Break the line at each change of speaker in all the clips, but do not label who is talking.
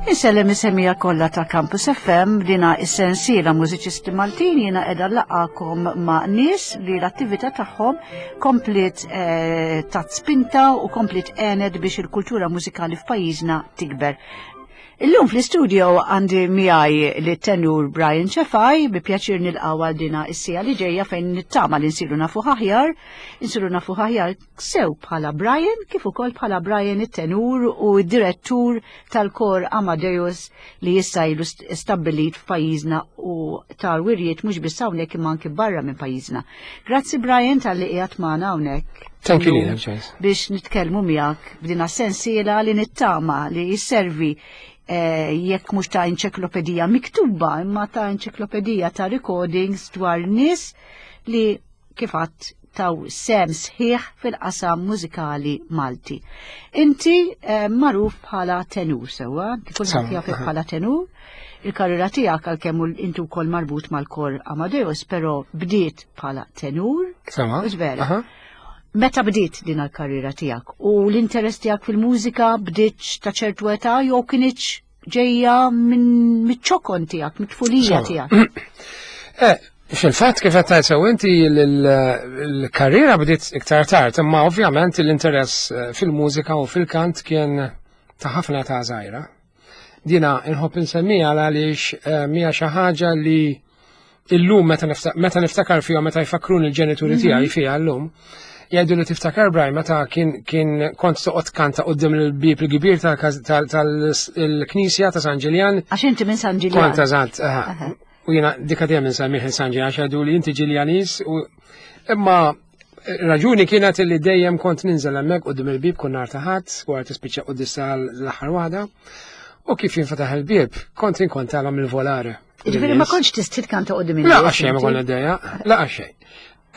Insellem is-semija kollha ta' Campus FM dina is-sensiela mużiċisti Maltin jiena qiegħda laqakom ma' nies li l-attività tagħhom kompliet eh, tat spinta u kompliet għenet biex il-kultura mużikali f'pajjiżna tikber. Illum fl-istudio għandi miegħi li tenur Brian Cefai bi pjaċir nilqgħu għal dina is-sija li ġejja fejn nittama li nsiru nafu aħjar, nsiru nafu aħjar sew bħala Brian kif ukoll bħala Brian it-tenur u d-direttur tal-kor Amadeus li issa ilu stabbilit f'pajjiżna u tal-wirjiet mhux biss hawnhekk imma anki barra minn pajjiżna. Grazzi Brian talli qiegħed magħna hawnhekk.
Thank you, Lina, Joyce.
Biex nitkellmu miegħek b'dina sensiela li nittama li jisservi eh, jekk mhux ta' enċiklopedija miktuba imma ta' enċiklopedija ta' recordings dwar nies li kif għadt taw sem sħiħ fil-qasam mużikali Malti. Inti eh, magħruf bħala tenur sewwa, kulħadd jafek bħala tenur. Il-karriera tiegħek għalkemm inti wkoll marbut mal-kor Amadeus, però bdiet bħala tenur.
Sewwa.
Vera. Meta bdiet din il-karriera tiegħek u l-interess tiegħek fil-mużika bdiet ta' ċertu età jew kienx ġejja minn miċ-ċokon tiegħek, mit-tfulija tiegħek.
Eh, fil-fatt kif qed tgħid sew inti l-karriera bdiet iktar tard, imma ovvjament l-interess eh, fil-mużika u fil-kant kien ta' ħafna ta' żgħira. Dina inħobb insemmija għaliex eh, mija xi ħaġa li illum meta niftakar fiha meta jfakkruni l-ġenituri mhm. tiegħi fiha llum, jgħidu li tiftakar Brian meta kien kien kont toqgħod kanta qudiem il-bieb il-kbir tal-Knisja ta' San Ġiljan.
Għax inti minn San Ġiljan.
Kont eżatt. U jiena dika dejjem insemmih San Ġiljan għax jgħidu li inti Ġiljanis u imma raġuni kienet li dejjem kont ninżel hemmhekk qudiem il-bieb kun nhar ta' ħadd wara tispiċċa quddiem l-aħħar waħda. U kif jinfetaħ il-bieb, kont inkontalhom il-volare.
Ġifieri ma kontx tistħi tkanta qudiem
in-nies. La xejn ma konna dejja, la xejn.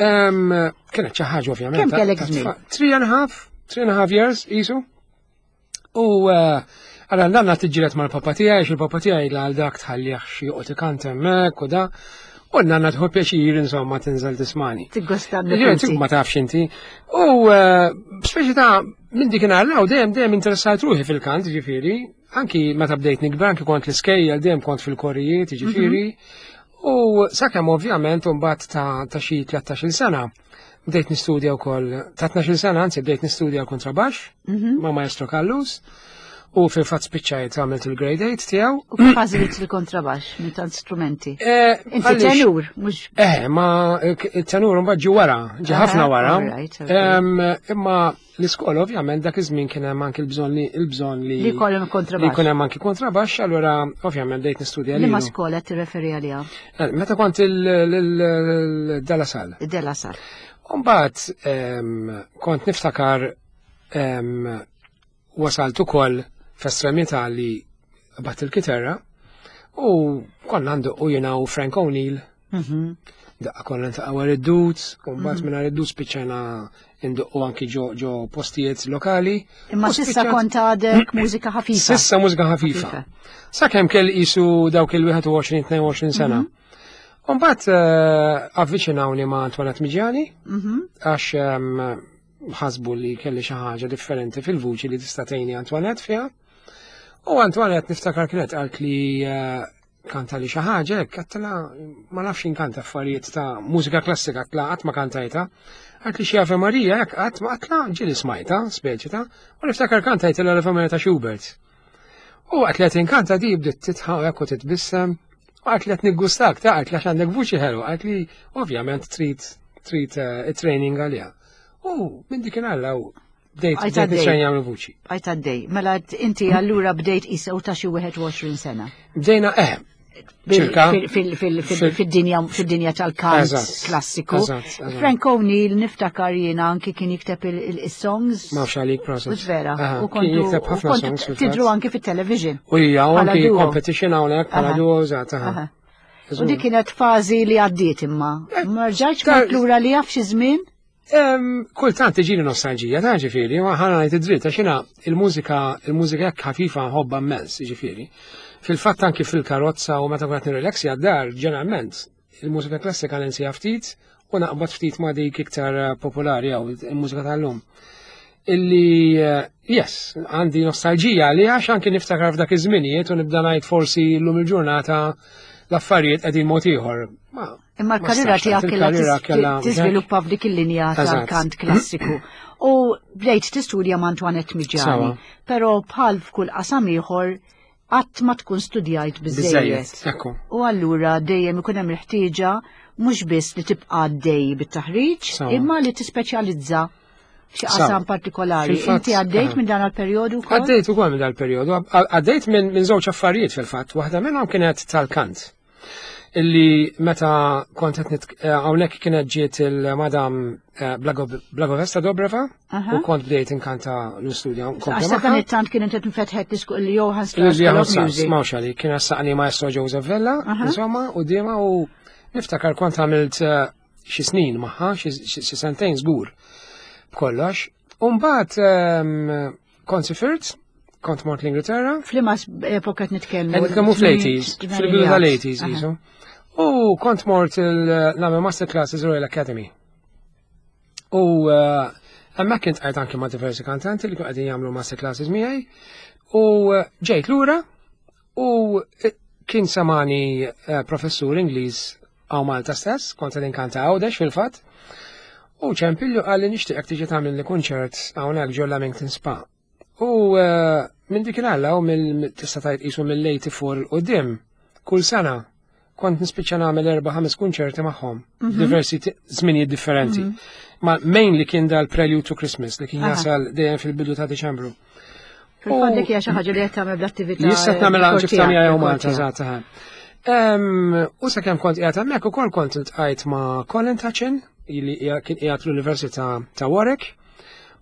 Kienet xi ħaġa ovvjament.
Kemm kellek żmien?
Three and a half, three and a half years isu. U eh, għala nanna tiġġieled mal-papa tiegħi, għax il-papa tiegħi għal dak tħallih xi joqgħod ikant hemmhekk u da. U nanna tħu pjaċir insomma tinżel tismani.
Tiggosta
Ma tafx inti. U eh, speċi ta' minn dik inhar dejjem dejjem interessat ruħi fil-kant, ġifieri, Anki meta bdejt nikber, anki kont l-iskejjel, dejjem kont fil-korijiet, jiġifieri. Mhm. U sakemm ovvjament mbagħad ta' ta' xi 13-il sena bdejt nistudja wkoll ta' 12-il sena anzi bdejt nistudja l-kontrabaxx mhm. ma' Maestro Kallus u fil-fatt spiċċajt għamilt il-grade 8 tiegħu.
U kif għażilt il-kontrabaxx minn tant strumenti? Eh, Inti tenur, mhux.
Eh, ma tenur mbagħad ġi wara, ġi ħafna wara. Imma L-iskola ovvjament dak iż-żmien kien hemm anki l-bżonn li l-bżonn li
li jkollhom kontrabaxx.
Li jkun hemm anki kontrabaxx, allura ovvjament bdejt nistudja
li. Ma skola tirreferi għaliha?
Eh, meta kont il-Della Sal.
Della Sal.
Umbagħad kont niftakar wasalt ukoll f'estremità li bat il-kitarra u konna nduqqu jiena u Frank O'Neill. Mhm. Daqqa konna ntaqgħu għar id-dut, u mbagħad mhm. minn id-dut spiċċajna nduqqu anki ġo postijiet lokali.
Imma sissa kont għadek mużika ħafifa.
Sissa mużika ħafifa. Sakemm kell qisu dawk il-21-22 sena. Mhm. Umbat eh, avviċinawni ma' Antoinette Miġjani, għax ehm, ħasbu li kelli xi ħaġa differenti fil-vuċi li tista' tgħinni Antoinette fiha. U Antoinette niftakar kienet qalt li eh, kanta li xi ħaġa hekk għedtilha ma nafx inkanta affarijiet ta' mużika klassika għedtilha qatt ma kantajta. Għalt li xi Ave Maria hekk qatt ma għedtilha ġieli smajta, speċi ta' u niftakar kantajtilha l-Ave Maria ta' Schubert. U għat li għat inkanta di bdiet titħaq hekk u titbissem. U għat li għat niggustak ta' għat li għax għandek vuċi ħelu, għat li ovvjament trid trid eh, training għaliha. U minn dik inalla u bdejt bdejt nitrejn jagħmlu vuċi.
Għajt għaddej. Mela inti allura bdejt isa u ta' xi 21 sena.
Bdejna eh
Fid-dinja fid-dinja tal-kant klassiku. Frank O'Neill niftakar jiena anki kien jikteb il-songs.
Ma nafx għalik process.
Vera. U kontu
jikteb ħafna songs.
Tidru anki fit-television.
U hija anki competition hawnhekk bħala duo eżatt.
U dik kienet fażi li għaddiet imma. Eh, ma rġajtx kont lura li jaf xi żmien?
Kultant tiġini nostalġija, ta' ġifieri, ma ħana ngħid id-dritt, għax jiena il-mużika, il-mużika hekk ħafifa nħobbha immens, ġifieri. Fil-fatt anki fil-karozza u meta kont nirrelaxja d-dar, ġeneralment, il-mużika klassika ninsija ftit u naqbad ftit ma' dik iktar popolari jew il-mużika tal-lum. Illi, eh, yes, għandi nostalġija li għax anki niftakar f'dak iż-żminijiet u nibda ngħid forsi llum il-ġurnata l-affarijiet qegħdin mod ieħor.
Imma l-karriera tiegħek kellha tiżviluppa f'dik il-linja tal-kant klassiku. U bdejt tistudja ma' Antoinette Miġani, però bħal f'kull qasam ieħor qatt ma tkun studjajt biżejjed. U allura dejjem ikun hemm il-ħtieġa mhux biss li tibqa' għaddej bit-taħriġ, imma li tispeċjalizza f'xi qasam partikolari. Inti għaddejt minn dan il-perjodu
wkoll? Għaddejt ukoll minn dan il-perjodu, għaddejt minn żewġ affarijiet fil-fatt, waħda minnhom kienet tal-kant. Illi meta kont qed eh, hawnhekk kienet ġiet il-madam eh, Blagovesta Dobreva u kont bdejt inkanta l-istudja.
Għax dan it-tant kien inti nfetħet disku il Johann Strauss. Johann
Strauss, mawx għali, kien għassaqni maestro Joseph Vella, insomma, u dima u niftakar kont għamilt eh, xi snin magħha, xi sentejn żgur b'kollox. U mbagħad ehm, kont sifirt, kont mort l-Ingilterra.
F'liema epoka qed nitkellmu?
Qed nitkellmu fl-80s, fil-bidu tal-80s jisu. U kont mort il-nagħmel masterclasses Royal Academy. U eh, hemmhekk kint qajt anke ma' diversi kantanti li kienu qegħdin jagħmlu masterclasses miegħi. U eh, ġejt lura U eh, kien samani eh, professur Ingliż għaw Malta stess, kont qed inkanta Għawdex fil-fatt. U ċempillu qalli nixtieqek tiġi tagħmel li kunċert hawnhekk ġo Lamington Spa. U eh, minn dik il-għalla u mill tista' tgħid qisu mill-84 il qudiem kull sena kont nispiċċa nagħmel erba' ħames kunċerti magħhom, mhm. diversi żminijiet differenti. Mhm. Ma mainly kien dal-Prelude to Christmas li kien jasal dejjem fil-bidu ta' Diċembru.
Fil-fatt dik hija xi ħaġa li qed tagħmel bl-attività.
Issa tagħmel anki f'tamja jew Malta eżatt. U sakemm kont qiegħed hemmhekk ukoll kont iltqajt ma' Colin Tachin li kien qiegħed l-Università ta' Warwick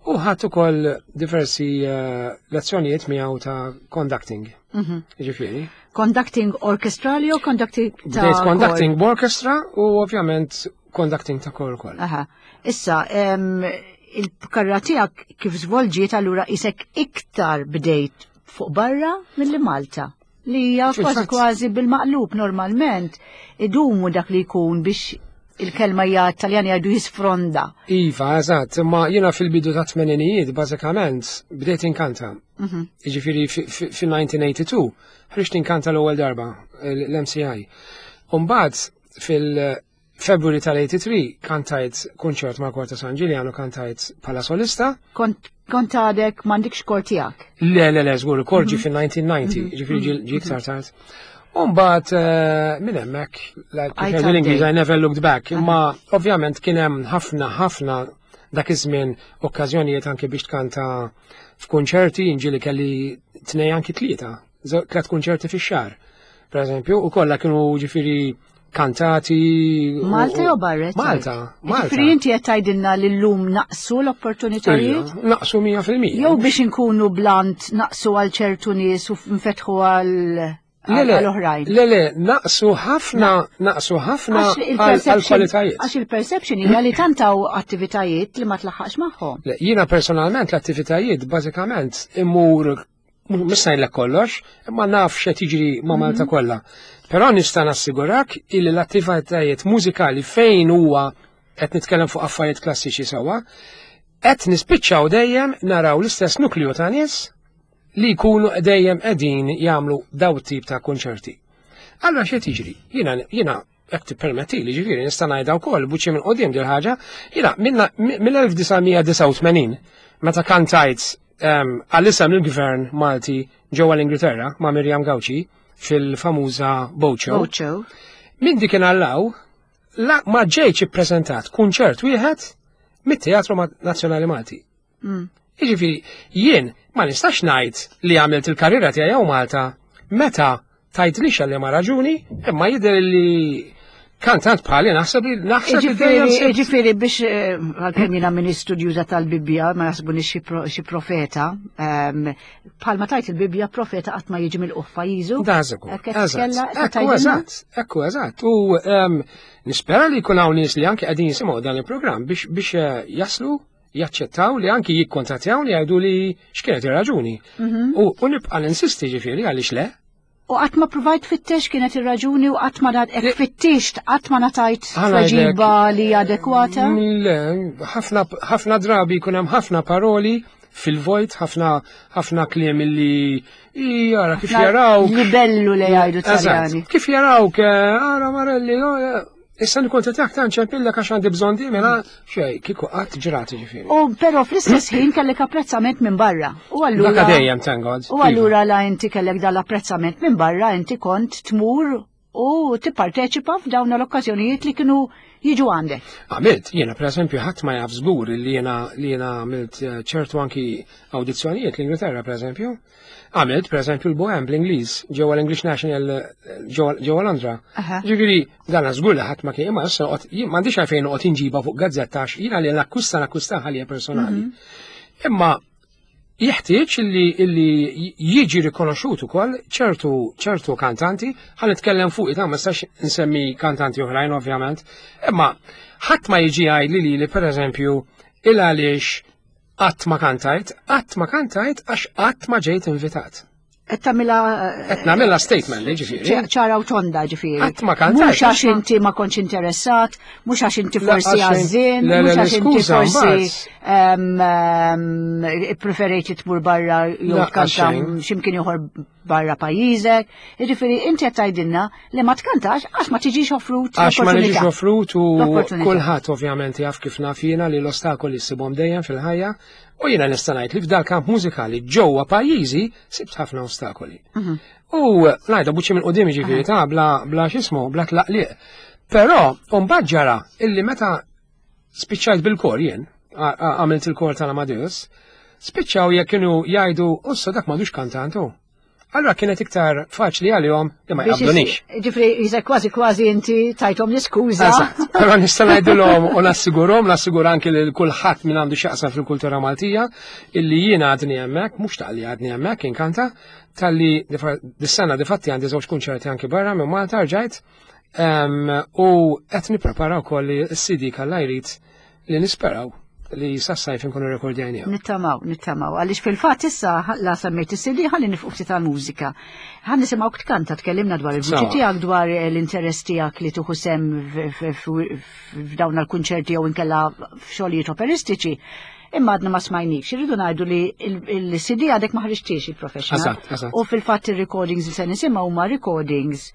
u ħadd ukoll diversi eh, lezzjonijiet miegħu ta' conducting. Mhm. Ġifieri.
Conducting orchestrali u conducting ta'
Bdejt conducting b'orchestra u ovvjament conducting ta' kor ukoll.
Aha. Issa, il-karriera tiegħek kif żvolġiet allura isek iktar bdejt fuq barra milli Malta li hija kważi kważi bil-maqlub normalment idumu dak li jkun biex il-kelma hija Taljani jgħidu jisfronda.
Iva, eżatt, imma jiena fil-bidu ta' tmeninijiet bażikament bdejt inkanta. Mhm. Jiġifieri fil-1982 ħriġt inkanta l-ewwel darba l-MCI. Umbagħad fil-February tal-83 kantajt kunċert ma' Kor ta' San Ġiljan u kantajt bħala solista.
Kont kont għadek m'għandikx kor tiegħek?
Le, le, le, żgur, kor ġie mhm. fil-1990, mhm. ġifieri ġie iktar tard. Umbagħad eh, minn hemmhekk, like l-Ingliż I never looked back, imma ovvjament kien hemm ħafna ħafna dak iż-żmien okkażjonijiet anke biex tkanta f'kunċerti, ġieli kelli tnej anki tlieta, tliet kunċerti fix-xahar. Per eżempju, u kollha kienu ġifieri kantati.
Malta jew barra?
Malta, Malta.
Ġifieri inti qed tgħidilna li llum naqsu l-opportunitajiet?
Naqsu 100%.
Jew biex inkunu blant naqsu għal ċertu nies u nfetħu għal
għal-oħrajn. Le, le, naqsu ħafna, naqsu ħafna għal-kwalitajiet.
Għax il-perception hija li tantaw attivitajiet li ma tlaħħaqx magħhom.
Le, jiena personalment l-attivitajiet bażikament imur mhux ngħidlek kollox, imma naf x'qed jiġri ma' Malta mhm. kollha. Però nista' nassigurak illi l-attivitajiet mużikali fejn huwa qed nitkellem fuq affarijiet klassiċi sewwa, qed nispiċċaw dejjem naraw l-istess nukliju ta' nies li jkunu dejjem qegħdin jagħmlu daw tip ta' konċerti. Allura x'qed jiġri? Jiena jiena jekk tippermettili ġifieri nista' ngħidha wkoll buċċi minn qudiem dil ħaġa, jiena mill-1989 meta kantajt ehm, għall-isem il-gvern Malti ġewwa l-Ingilterra ma' Miriam Gauci fil-famuża Bocho. Minn dik allaw la ma ġejtx ippreżentat kunċert wieħed mit-Teatru Nazzjonali Malti. Mm. Jiġifieri jien ma nistax ngħid li għamilt il-karriera tiegħi hawn Malta meta tgħidlix għal ma raġuni, imma jidher li kantant bħali naħseb li naħseb
li Ġifieri biex eh, għalkemm jiena min istudjuża tal-Bibbja ma jaħsbuni xi profeta, ehm, bħalma tajt il-Bibbja profeta qatt ma jiġi mill-quffa jiżu.
Dażeku. Ekku eżatt, ekku eżatt. U ehm, nispera li jkun hawn nies li anke qegħdin jisimgħu dan il-programm biex eh, jaslu jaċċettaw li anki jikkontattjawni jgħidu li x'kienet ir-raġuni. Mhm. U nibqa' ninsisti ġifieri għaliex le.
U qatt ma provajt fittex kienet ir-raġuni u qatt ma hekk fittixt, qatt ma natajt tweġiba li adekwata?
Le, ħafna drabi jkun hemm ħafna paroli fil-vojt, ħafna ħafna kliem illi jara kif jaraw.
Libellu li jgħidu Taljani.
Kif jarawk, eh, ara Marelli, oh, eh, Issa li kont qed ta' nċempillek għax għandi bżonn di mela xej, kieku qatt ġrati ġifieri.
U però fl-istess ħin kellek apprezzament minn barra. U allura
Dak dejjem thank God.
U allura la inti kellek dal-apprezzament minn barra inti kont tmur u tipparteċipa f'dawn l-okkażjonijiet li kienu jiġu għandek.
Għamilt, jiena pereżempju ħadd ma jaf żgur li jiena li jiena għamilt eh, ċertu anki awdizzjonijiet l-Ingilterra pereżempju. Għamilt, per eżempju, l-Bohem bl-Ingliż, ġewwa l-English National ġewwa Londra. Ġifieri, dan żgur li ħadd ma kien imma issa m'għandix għalfejn noqgħod inġiba fuq gazzetta għax jiena li nakkwista nakkwista ħalija personali. Mhm. Imma jeħtieġ li illi jiġi rikonoxxut ukoll ċertu ċertu kantanti, ħa nitkellem fuq ta' ma nistax insemmi kantanti oħrajn ovvjament, imma ħadd ma jiġi jgħidli li li pereżempju il għaliex Qatt ma kantajt, qatt ma kantajt għax qatt ma ġejt invitat.
Qed tagħmilha
Qed nagħmilha statement li ġifieri.
Ċara u tonda ġifieri.
Qatt ma kantajt.
Mhux għax inti ma kontx interessat, mhux għax inti forsi għażin, mhux għax inti forsi preferejt li tmur barra jew tkanta x'imkien ieħor barra pajjiżek. Jiġifieri inti qed tgħidilna li ma tkantax għax ma tiġix offrut.
Għax ma niġix offrut u kulħadd ovvjament jaf kif naf jiena li l-ostakoli ssibhom dejjem fil-ħajja u jiena nista' ngħid li f'dal kamp mużikali ġewwa pajjiżi sibt ħafna ostakoli. Mhm. U ngħidha buċċi minn qudiem jiġifieri ta' bla bla x'ismu, bla tlaqliq. Però mbagħad ġara illi meta spiċċajt bil-kor jien, għamilt il-kor tal-Amadeus, spiċċaw jekk kienu jgħidu, ussa dak m'għandux kantantu. Allora kienet iktar faċli għalihom li ma jqabdunix.
Ġifri, jizek kważi kważi inti tajtom l-iskuża.
Però nista' ngħidilhom u nassigurhom, nassigura anki lil kulħadd min għandu x'jaqsam fil-kultura Maltija illi jiena għadni hemmhekk, mhux taqli għadni hemmhekk inkanta, talli dis-sena difatti għandi żewġ kunċerti anki barra minn Malta rġajt U qed nipprepara wkoll li s-CD kalla jrid li nisperaw li sas-sajf inkunu rekordjajnija.
Nittamaw, nittamaw. Għaliex fil-fatt issa la semmejt is-CD ħalli nifqu ftit tal-mużika. Ħa nisimgħu tkanta tkellimna dwar il-vuċi tiegħek dwar l-interess tiegħek li tuħu sem f'dawn l-kunċerti jew inkella f'xogħlijiet operistiċi. Imma għadna ma smajnikx, irridu ngħidu li l-CD għadek ma ħriġtiex il-professional. U fil-fatt ir-recordings li se nisimgħu huma recordings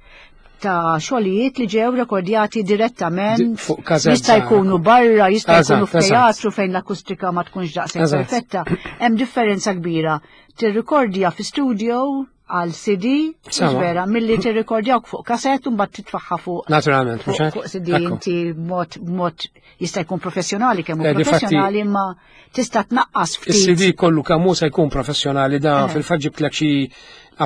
ta' xogħlijiet li ġew rekordjati direttament. Jista' jkunu barra, jista' jkunu f'teatru fejn l-akustika ma tkunx daqshekk perfetta. Hemm differenza kbira. Tirrikordja fi studio għal CD, vera, milli tirrikordjawk fuq kaset u mbagħad titfaħħa fuq.
Naturalment, mhux
Fuq CD inti mod mod jista' jkun professjonali kemm hu eh, professjonali imma tista' tnaqqas
ftit. Is-CD kollu kemm hu se jkun professjonali da eh. fil-fatt ġibtlek xi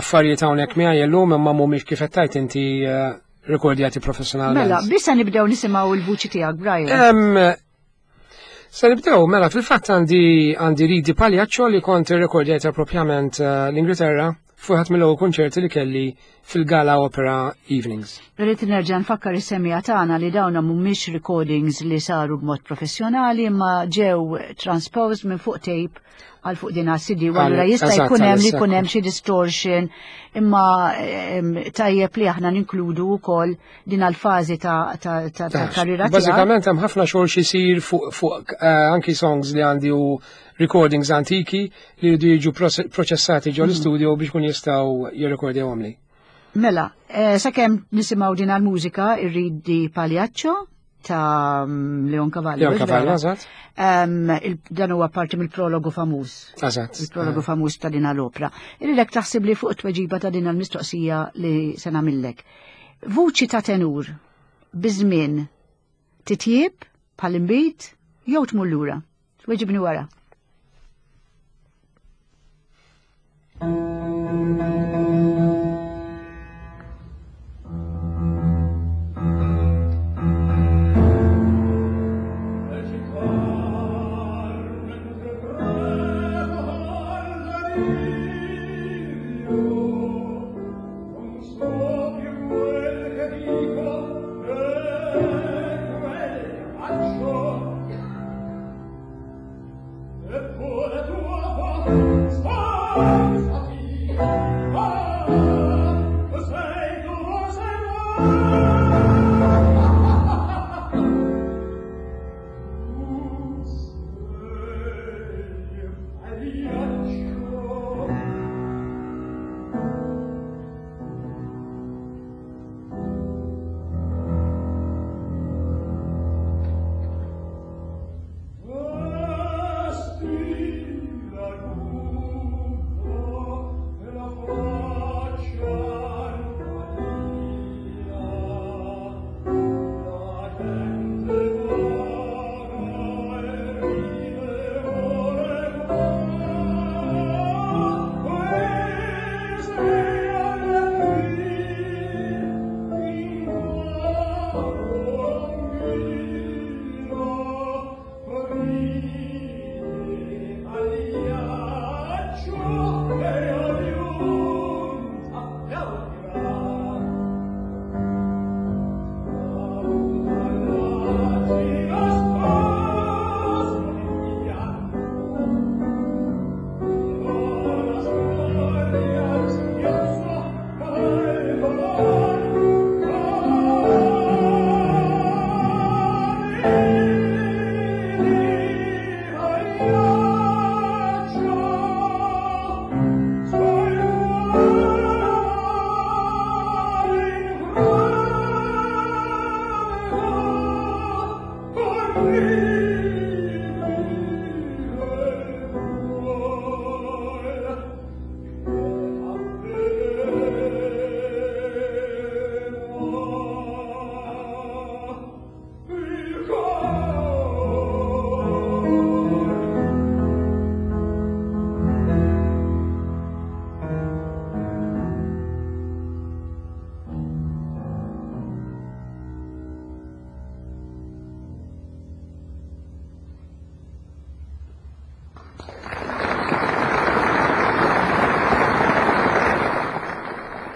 affarijiet hawnhekk miegħi llum imma mhumiex kif qed tgħid inti eh, rekordjati professjonalment.
Mela, bissa nibdew nisimgħu l-vuċi tiegħek, Brian.
Se nibdew, mela fil-fatt għandi għandi Ridi Pagliaccio li kont irrekordjajta propjament eh, l-Ingilterra fuq mill-ewwel kunċerti li kelli fil-Gala Opera Evenings.
Rrid nerġa' nfakkar is-semija tagħna li dawna mhumiex recordings li saru b'mod professjonali imma ġew transposed minn fuq tape għal fuq din CD u allura jista' jkun hemm li jkun hemm xi distortion imma tajjeb li aħna ninkludu wkoll din għal-fażi ta' karriera
tiegħek. Bażikament hemm ħafna xogħol xi jsir fuq eh, anki songs li għandi u recordings antiki li jridu jiġu proċessati ġol mhm. studio biex kun jistgħu jirrekordjawhom li.
Mela, eh, sakemm nisimgħu din għall-mużika irridi Pagliaccio ta' Leon Cavallo.
Leon Cavallo, eżatt.
Dan huwa parti mill-prologu famuż.
Eżatt.
Il-prologu famuż ta' din l-opra. Irridek taħsib li fuq tweġiba ta' din l-mistoqsija li se nagħmillek. Vuċi ta' tenur biżmien titjib bħal imbit jew tmur lura. Tweġibni wara.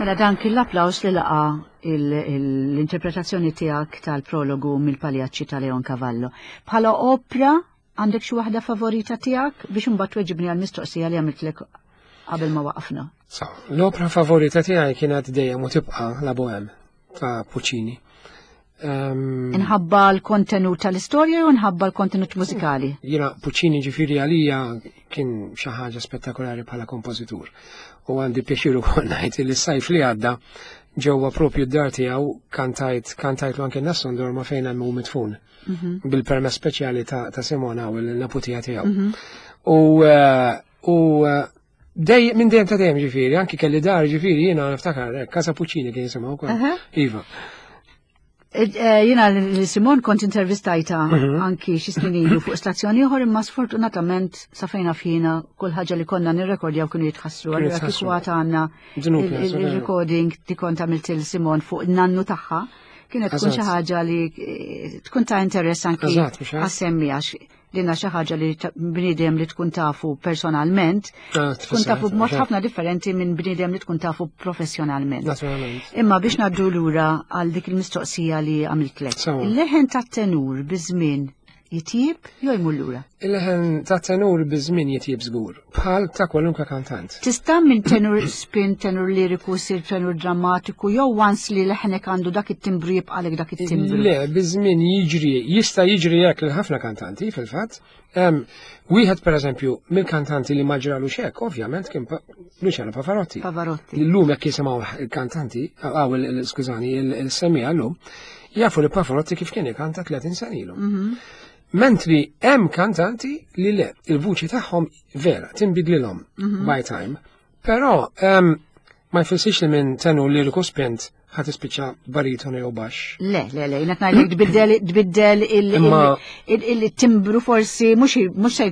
Mela dan kien l-applaws li laqa l-interpretazzjoni tiegħek tal-prologu mill-Paljaċċi ta' Leon Cavallo. Bħala opra għandek xi waħda favorita tiegħek biex imbagħad tweġibni għall-mistoqsija li għamiltlek qabel ma waqafna.
So, l-opra favorita tiegħi kienet dejjem u tibqa' La Bohème ta' Puccini.
Inħabba l-kontenut tal-istorja u nħabba l-kontenut mużikali?
Jiena Puccini ġifieri għalija kien xi ħaġa spettakolari bħala kompożitur. U għandi pjaċir ukoll ngħid li s-sajf li għadda ġewwa propju d-dar tiegħu kantajt kantajtlu anke Nessun Dorma fejn hemm hu mitfun. Bil-permess speċjali ta', ta Simona u l-naputija tiegħu. U eh, u eh, Dej, minn dejjem ta' dejjem ġifieri, anki kelli dar ġifieri jiena niftakar, eh, Casa Puccini kien jisimha wkoll. Iva.
Eh, eh, jiena li Simon kont intervistajta anki xi snin ilu fuq stazzjoni ieħor imma sfortunatament sa fejn fjina kull ħaġa li konna nirrekordjaw kienu jitħassru. Allura kieku għad għandna il-recording li kont għamilt il Simon fuq nannu tagħha kienet tkun xi ħaġa li tkun ta' interess anki għas-semmi għax Dina xi ħaġa li bniedem li tkun tafu personalment, ah, tkun tafu b'mod ħafna differenti minn bniedem li tkun tafu professjonalment. Imma biex ngħaddu lura għal dik il-mistoqsija li għamiltlek. Il-leħen tat-tenur biż-żmien jitjib jew jmur lura?
Il-leħen ta' tenur biż-żmien jitjib żgur, bħal ta' kwalunkwe kantant.
Tista' minn tenur spin, tenur liriku, sir tenur drammatiku, jew once li leħnek għandu dak it-timbru jibqalek dak it-timbru?
Le, biż-żmien jiġri, jista' jiġri hekk lil ħafna kantanti fil-fatt. Wieħed pereżempju mill-kantanti li ma ġralu xek, ovvjament kien Luciano Pavarotti.
Pavarotti.
Illum jekk jisimgħu il-kantanti, għaw skużani, il-semmiegħa llum, jafu li Pavarotti kif kien ikanta 30 sena ilu. Mentri hemm kantanti li le, il-vuċi tagħhom vera tinbidlilhom by time, però ma jfissirx li minn tenur liriku spint ħa tispiċċa baritonu jew baxx.
Le, le, le, jiena ngħidlek tbiddel tbiddel il-timbru forsi mhux mhux se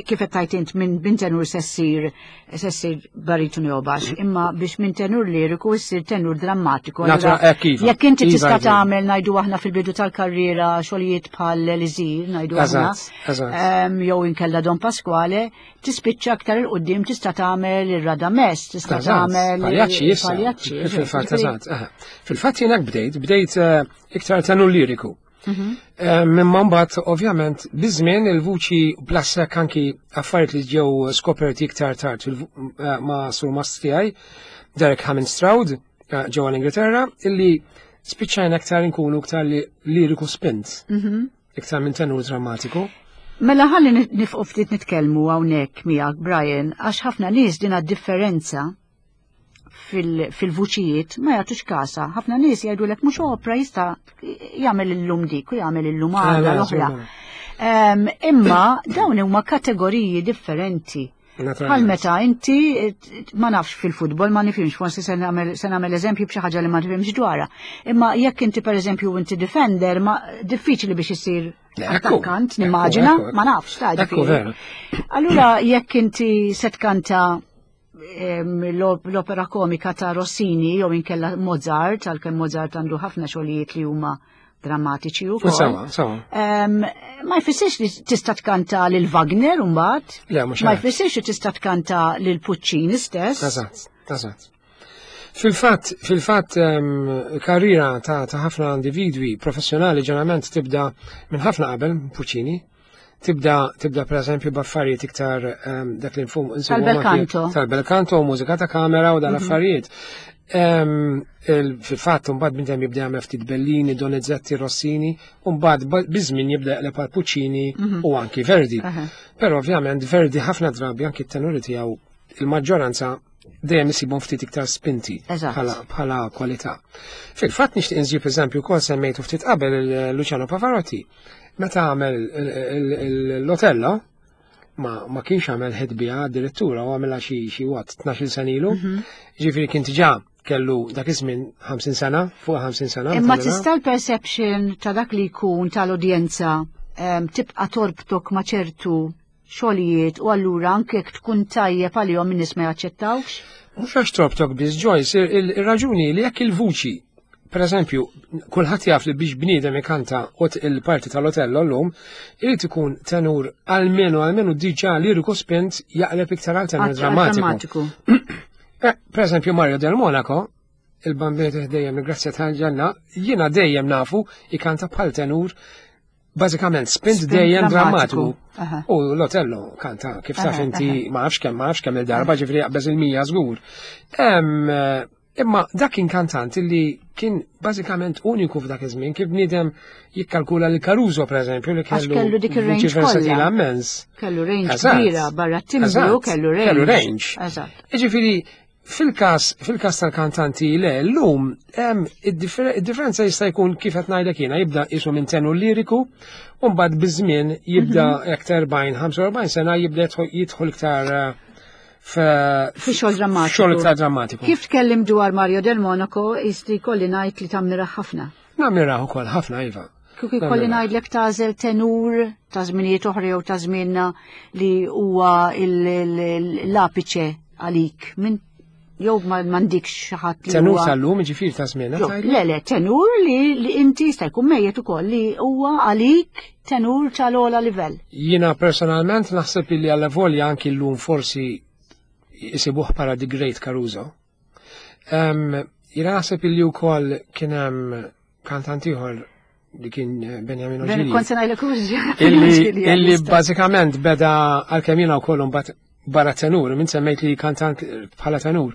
kif qed tgħid int minn minn tenur se ssir se ssir baritonu jew baxx, imma biex minn tenur liriku ssir tenur drammatiku.
Natura, hekk iva.
Jekk inti
Iva,
tista'
iva.
tagħmel ngħidu aħna fil-bidu tal-karriera xogħlijiet bħal Elisir, ngħidu aħna.
Eżatt, eżatt.
Jew inkella Don Pasquale, tispiċċa aktar 'il quddiem tista' tagħmel ir-Radames, tista' tagħmel
Paljaċċi issa.
Paljaċċi.
Fil-fatt eżatt. Fil-fatt jiena bdejt, bdejt eh, iktar tenur liriku. Eh, Mimma mbagħad ovvjament biż-żmien il-vuċi blassek anki affarijiet li ġew skoperti iktar tard eh, ma' surmast tiegħi Derek Hammond Stroud ġewwa l-Ingilterra illi spiċċajna iktar inkunu iktar liriku spint. Iktar minn tenur drammatiku.
Mela ħalli nifqu ftit nitkellmu hawnhekk miegħek Brian għax ħafna nies din differenza fil-vuċijiet ma jagħtux kasa. Ħafna nies jgħidulek mhux opra jista' jagħmel illum dik u jagħmel illum għada l-oħra. Imma dawn huma kategoriji differenti. Bħal meta inti ma nafx fil-futbol ma nifhimx, forsi se nagħmel eżempju b'xi ħaġa li ma nifhimx dwarha. Imma jekk inti pereżempju inti defender ma diffiċli biex isir attakkant, nimmaġina, ma nafx ta' Allura jekk inti se tkanta l-opera komika ta' Rossini jew inkella Mozart, għalkemm Mozart għandu ħafna xogħlijiet li huma drammatiċi u
Sawa, sawa.
Ma jfissirx li tista' tkanta lil Wagner mbagħad.
Le, mhux
Ma jfissirx li tista' tkanta lil Puccini stess.
Eżatt, eżatt. Fil-fatt, fil-fatt karriera ta' ħafna individwi professjonali ġeneralment tibda minn ħafna qabel Puccini. Tibda tibda pereżempju b'affarijiet iktar dak li nfum
Tal-bel canto.
Tal-bel canto, mużika ta' kamera u dal-affarijiet. Fil-fatt mbagħad minn hemm jibda jagħmel ftit Bellini, Donizetti, Rossini, u mbagħad biż-żmien jibda jaqleb għal Puccini u anki Verdi. Però ovvjament Verdi ħafna drabi anki t-tenuri tiegħu il-maġġoranza dejjem isibhom ftit iktar spinti bħala kwalità. Fil-fatt nixtieq inżib eżempju wkoll semmejtu ftit qabel il-Luciano Pavarotti. Meta għamel l-Otello, ma kienx għamel ħidbija addirittura u għamilha xi xi wat 12 sena ilu. Ġifieri kien diġà kellu dak iż-żmien 50 sena, fuq 50 sena.
Imma tista' l-perception ta' dak li jkun tal-udjenza tibqa' torbtok ma' ċertu xogħlijiet u allura anke jekk tkun tajjeb għalihom in-nies ma jaċċettawx?
Mhux għax trobtok biss Joyce, ir-raġuni li jekk il-vuċi Per eżempju, kulħadd jaf li biex bniedem ikanta il-parti tal-Otello llum, irid ikun tenur almenu almenu diġà liriku spint jaqleb iktar għal tenur drammatiku. Eh, per eżempju, Mario Del Monaco. Il-Bambin dejjem il-grazzja tal-ġenna, jiena dejjem nafu ikanta bħal tenur bażikament spint dejjem drammatiku. U l-Otello kanta kif taf inti ma nafx kemm ma nafx kemm il-darba ġifri jaqbeż il-mija żgur. Imma dak kien kantant li kien bażikament uniku f'dak iż-żmien kif bniedem jikkalkula li Caruso pereżempju li
kellu kellu dik ir-range kollha.
Immens.
Kellu range kbira barra timbru kellu range.
Kellu range. Eżatt. Jiġifieri fil-każ fil-każ tal-kantanti le llum hemm id-differenza jista' jkun kif qed ngħidlek jiena jibda qisu minn tenur liriku u mbagħad biż-żmien jibda mhm. aktar 40 45 sena jibda jidħol iktar eh,
fi xogħol drammatiku.
Xogħol iktar drammatiku.
Kif tkellim dwar Mario Del Monaco, jisti kolli ngħid li tammira ħafna.
Nammira ukoll ħafna iva.
Kieku jkolli ngħidlek tagħżel tenur ta' żminijiet oħra jew ta' żmienna li huwa l-apiċe għalik minn jew m'għandikx xi ħadd
li Tenur tal-lum ġifier ta' żmienna.
Le le, tenur li inti jista' jkun mejjet ukoll li huwa għalik tenur tal-ogħla livell.
Jiena personalment naħseb li għalla volja anki llum forsi jisibuh para The Great Caruso. Jiena naħseb li wkoll kien hemm kantant ieħor li kien eh, Benjamin Oġili.
Kont se ngħidlek
Illi bażikament beda għalkemm jiena wkoll imbagħad barra tenur, minn semmejt li kantant bħala tenur.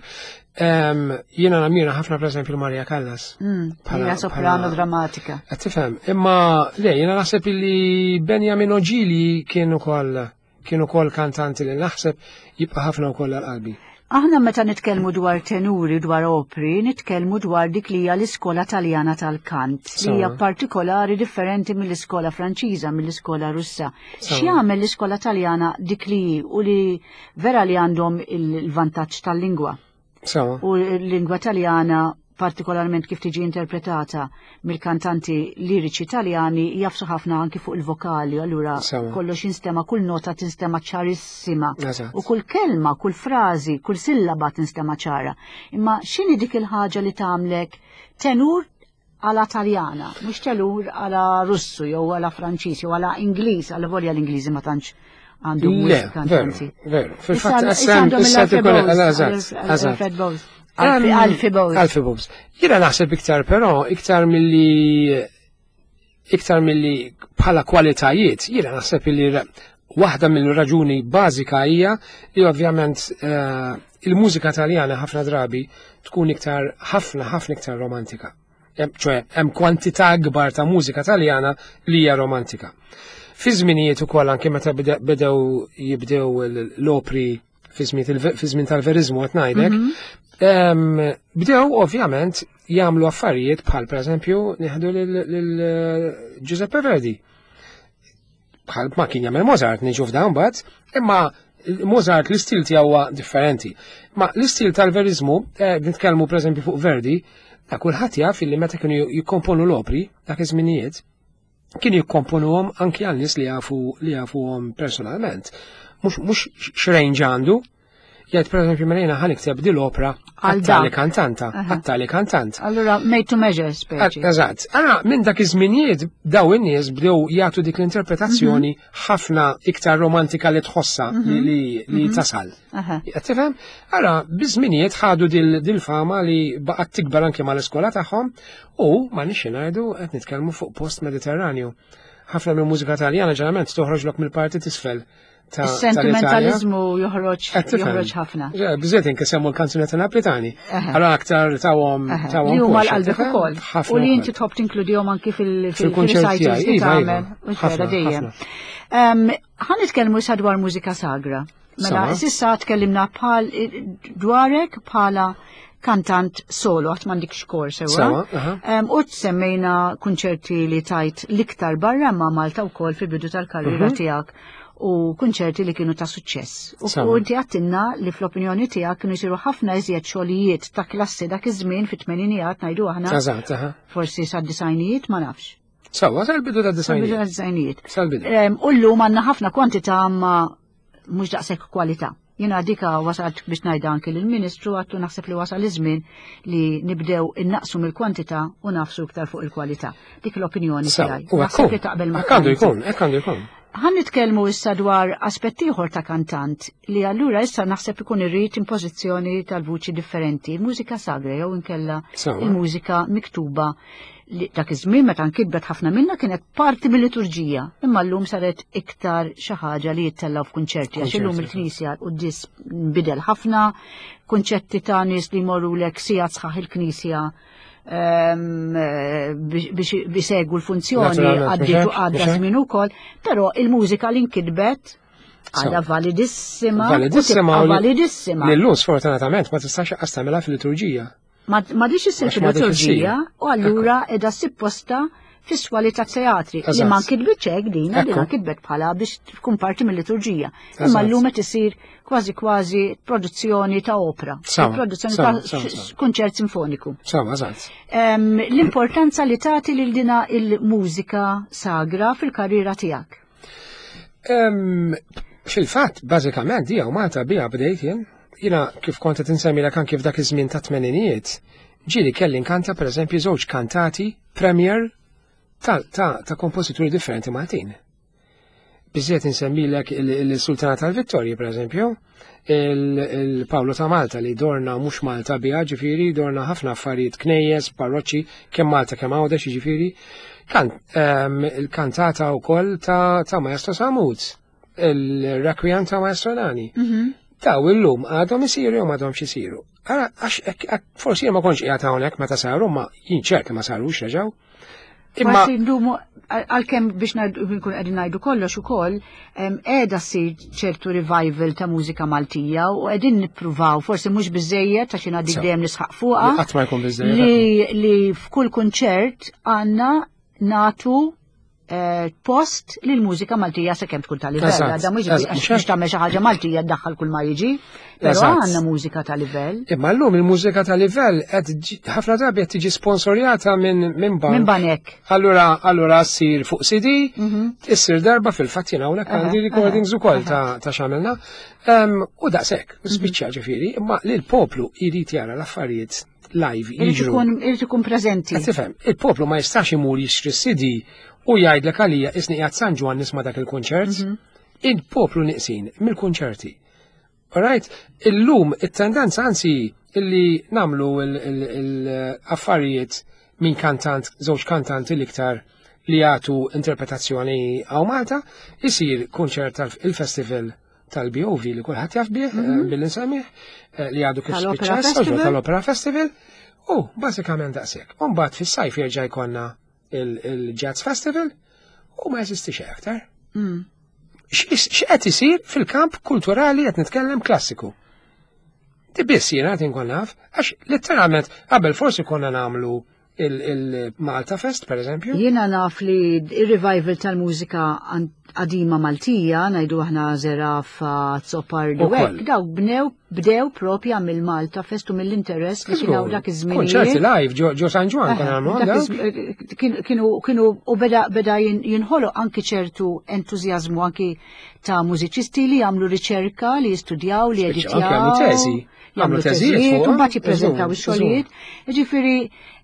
Jiena namira ħafna pereżempju Maria Callas.
Mm, bħala soprano drammatika.
Qed tifhem, imma le jiena naħseb illi Benjamin Oġili kien ukoll Kien ukoll kantanti li naħseb jibqa' ħafna wkoll għal qalbi.
Aħna meta nitkellmu dwar tenuri dwar opri, nitkellmu dwar dik li hija l-iskola Taljana tal-kant, li hija partikolari differenti mill-iskola Franċiża, mill-iskola Russa. X'jagħmel l-iskola Taljana dik li hi u li vera li għandhom il-vantaġġ tal-lingwa? U l-lingwa Taljana partikolarment kif tiġi interpretata mill-kantanti liriċi Taljani jafsu ħafna anki fuq il-vokali, allura kollox jinstema, kull nota tinstema ċarissima. U kull kelma, kull frażi, kull sillaba tinstema ċara. Imma x'inhi dik il-ħaġa li tagħmlek tenur għala Taljana, mhux tenur għala Russu jew għala Franċiż jew għala Ingliż, għala volja l-Ingliżi ma tantx għandhom
kantanti. Veru, fil-fatt għandhom
il-Alfred Bowes. Alfie Bowes.
Alfie Bowes. Jiena naħseb iktar però, iktar milli iktar milli bħala kwalitajiet, jiena naħseb li waħda mill-raġuni bażika hija li ovvjament eh, il-mużika taljana ħafna drabi tkun iktar ħafna ħafna iktar romantika. ċoe hemm kwantità akbar ta' mużika taljana li hija romantika. Fi żminijiet ukoll anke meta bedew jibdew l-opri fi żmien tal-verizmu qed ngħidlek, mhm. bdew ovvjament jagħmlu affarijiet bħal pereżempju nieħdu lil eh, Giuseppe Verdi. Bħal ma kien jagħmel Mozart niġu f'dawn mbagħad, imma Mozart l-istil tiegħu huwa differenti. Ma l-istil tal-verizmu, eh, nitkellmu pereżempju fuq Verdi, ta' kulħadd jaf li meta kienu jikkomponu l-opri dak iż-żminijiet, kienu jikkomponuhom anki għal nies li jafu li jafuhom personalment. Mhux x'range għandu, jgħid pereżempju mela jiena ħa nikteb din l-opra għal tali kantanta, għal tali kantant.
Allura made to measure speċi.
Eżatt. Allura minn dak iż-żminijiet daw in-nies bdew jagħtu dik l-interpretazzjoni mhm. ħafna iktar romantika li tħossa mhm. li mhm. tasal. Qed tifhem? Ara, biż-żminijiet ħadu dil-fama li baqgħet tikber anke mal-iskola tagħhom u ma nixi ngħidu qed nitkellmu fuq post Mediterranju. Ħafna mill-mużika Taljana ġeneralment toħroġlok mill-parti tisfel
Is-sentimentalizmu joħroġ joħroġ ħafna.
Biżiet inke semmu l-kanzunetta Napolitani. Allora aktar tawhom tawhom.
Li huma l-qalbek ukoll. U li inti tħobb tinkludihom anki fil-kunċerti li
iva, iva. tagħmel.
Dejjem. Ħa nitkellmu issa dwar mużika sagra. Mela, sissa tkellimna bħal dwarek bħala kantant solo, għat mandik xkor sewa. U semmejna kunċerti li tajt liktar barra ma Malta u kol fil-bidu tal-karriera mhm. tijak u kunċerti li kienu ta' suċċess. U inti għattinna li fl-opinjoni tijak kienu jisiru ħafna iżjed xogħlijiet ta' klassi dak iż-żmien fit-tmeninijiet ngħidu aħna. Forsi sad-disajnijiet ma nafx.
Sawa, sal-bidu ta' disajnijiet.
Sal-bidu ta' disajnijiet. Sal-bidu. U llum għandna ħafna kwantità ma mhux daqshekk kwalità. Jiena dika wasalt biex ngħidha anki lill-Ministru għattu naħseb li wasal iż-żmien li nibdew innaqsu mill-kwantità u nafsu iktar fuq il-kwalità. Dik l-opinjoni tiegħi.
Naħseb li taqbel ma' Għandu jkun, hekk għandu jkun.
Ħa nitkellmu issa dwar aspett ieħor ta' kantant li allura issa naħseb ikun irrid impożizzjoni tal-vuċi differenti, il-mużika sagra jew inkella il-mużika miktuba li dak iż-żmien meta nkitbet ħafna minnha kienet parti mill-liturġija, imma llum saret iktar xi ħaġa li jittellgħu f'kunċerti għax illum il-knisja l-quddies nbidel ħafna, kunċetti ta' nies li jmorrulek sigħat sħaħ il-knisja biex bisegwu l-funzjoni għaddiet u għadda żmien ukoll, però il-mużika li nkitbet għadha validissima.
Validissima.
Validissima.
Lillum sfortunatament ma tistax qas tagħmilha fil-liturġija.
Ma diċ issir fil-liturġija u allura edha sipposta fis-swali ta' teatri li ma nkitbitx hekk din, li nkitbet bħala biex tkun parti mill-liturġija. Imma llum qed isir kważi kważi produzzjoni ta' opra, produzzjoni ta' kunċert sinfoniku.
Sawa, eżatt.
L-importanza li tagħti lil dina il-mużika sagra fil-karriera tiegħek.
Fil-fatt, bażikament, hija Malta biha bdejt jien. Jiena kif kont qed insemmilek anki f'dak iż-żmien ta' tmeninijiet, ġieli kelli nkanta pereżempju żewġ kantati premier ta', ta, ta kompożituri differenti Maltin. Biżżejjed insemmilek il-Sultana tal-Vittorji, pereżempju, il-Pawlu ta' Malta li dorna mhux Malta biha, ġifieri dorna ħafna affarijiet knejjes, parroċċi, kemm Malta kemm Għawdex, ġifieri. Kan, il-kantata wkoll ta', ta Maestro Samut, il-Requiem ta' Maestro Nani. Daw illum għadhom isiru jew m'għadhomx isiru. Għax forsi jien ma kontx qiegħed hawnhekk meta saru, ma jien ċert li ma sarux reġgħu.
Imma ndumu għalkemm biex nkun qegħdin ngħidu kollox ukoll qiegħda ssir ċertu revival ta' mużika Maltija u qegħdin nippruvaw forsi mhux biżejjed għax jiena dik dejjem nisħaq fuqha.
Qatt ma jkun biżejjed.
Li f'kull kunċert għandna natu eh, post li l-mużika Maltija sakemm tkun ta' livell. Għadha mhux biex tagħmel xi ħaġa Maltija ddaħħal kull ma jiġi, però għandna mużika ta' livell.
Imma llum il-mużika ta' livell qed ħafna drabi qed tiġi sponsorjata minn minn bank.
Minn banek.
Allura allura ssir fuq CD, mhm. issir darba fil-fatt jien hawnhekk għandi recordings ukoll ta' x'għamilna. U daqshekk, mhm. spiċċa ġifieri, imma li l-poplu jrid jara l-affarijiet live jiġru.
Irid ikun preżenti.
Qed tifhem, il-poplu ma jistax imur jixtri CD u jgħidlek għalija isni qiegħed San Ġwann nisma' dak il-kunċert. Mhm. Il-poplu niqsin mill-kunċerti. Alright, illum it-tendenza anzi illi namlu l-affarijiet minn kantant, żewġ kantanti l-iktar li jagħtu interpretazzjoni għaw Malta, isir kunċert tal-festival tal-BOV li kulħadd jaf bih, eh, mhm. billi nsemmih, eh, li għadu kif spiċċa tal-Opera Festival, u bażikament daqshekk. U mbagħad fis-sajf jerġa' jkollna il-Jazz Festival u ma jeżistix aktar. Mm. X'qed isir fil-kamp kulturali qed nitkellem klassiku? Di biss jiena qed inkun naf, għax letteralment qabel forsi konna nagħmlu il-Malta Fest, per eżempju?
Jiena naf li il-revival tal-mużika qadima Maltija, najdu aħna Zerafa, Zopardi, u hekk, dawk bnew bdew propja mill-Malta Fest u mill-interess li kienu dak iż-żmien.
Konċerti live ġo San Ġwan kien għamlu.
Kienu kienu u beda beda jinħoloq anki ċertu entużjażmu anki ta' mużiċisti li jagħmlu riċerka, li jistudjaw, li
editjaw. Jagħmlu teżi.
Jagħmlu teżijiet, u mbagħad jippreżentaw ix-xogħlijiet. Ġifieri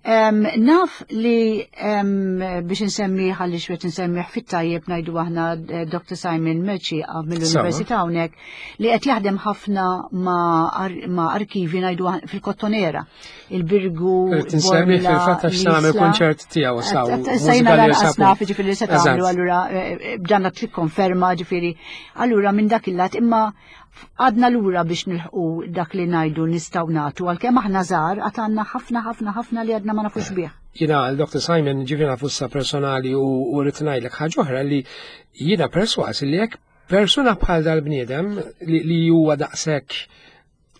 naf li biex insemmi ħalli xwet insemmi fit-tajjeb ngħidu aħna eh, Dr. Simon Merċi mill-Università hawnhekk li qed jaħdem ħafna ma' arkivi ngħidu fil-Kottonera, il-Birgu.
Insemmi fil-fatt għax nagħmel kunċert tiegħu saw.
Sejna lanqas naf ġifieri se tagħmlu allura eh, eh, b'dan tikkonferma ġifieri allura minn dak il-lat imma Għadna lura biex nilħqu dak li ngħidu nistgħu nagħtu għalkemm aħna żgħar għad għandna ħafna ħafna ħafna li għadna ma nafux bih.
Jiena għal Dr. Simon ġifieri nafu issa personali u rrid ngħidlek ħaġa oħra li jiena perswas li jekk persuna bħal dal-bniedem li huwa daqshekk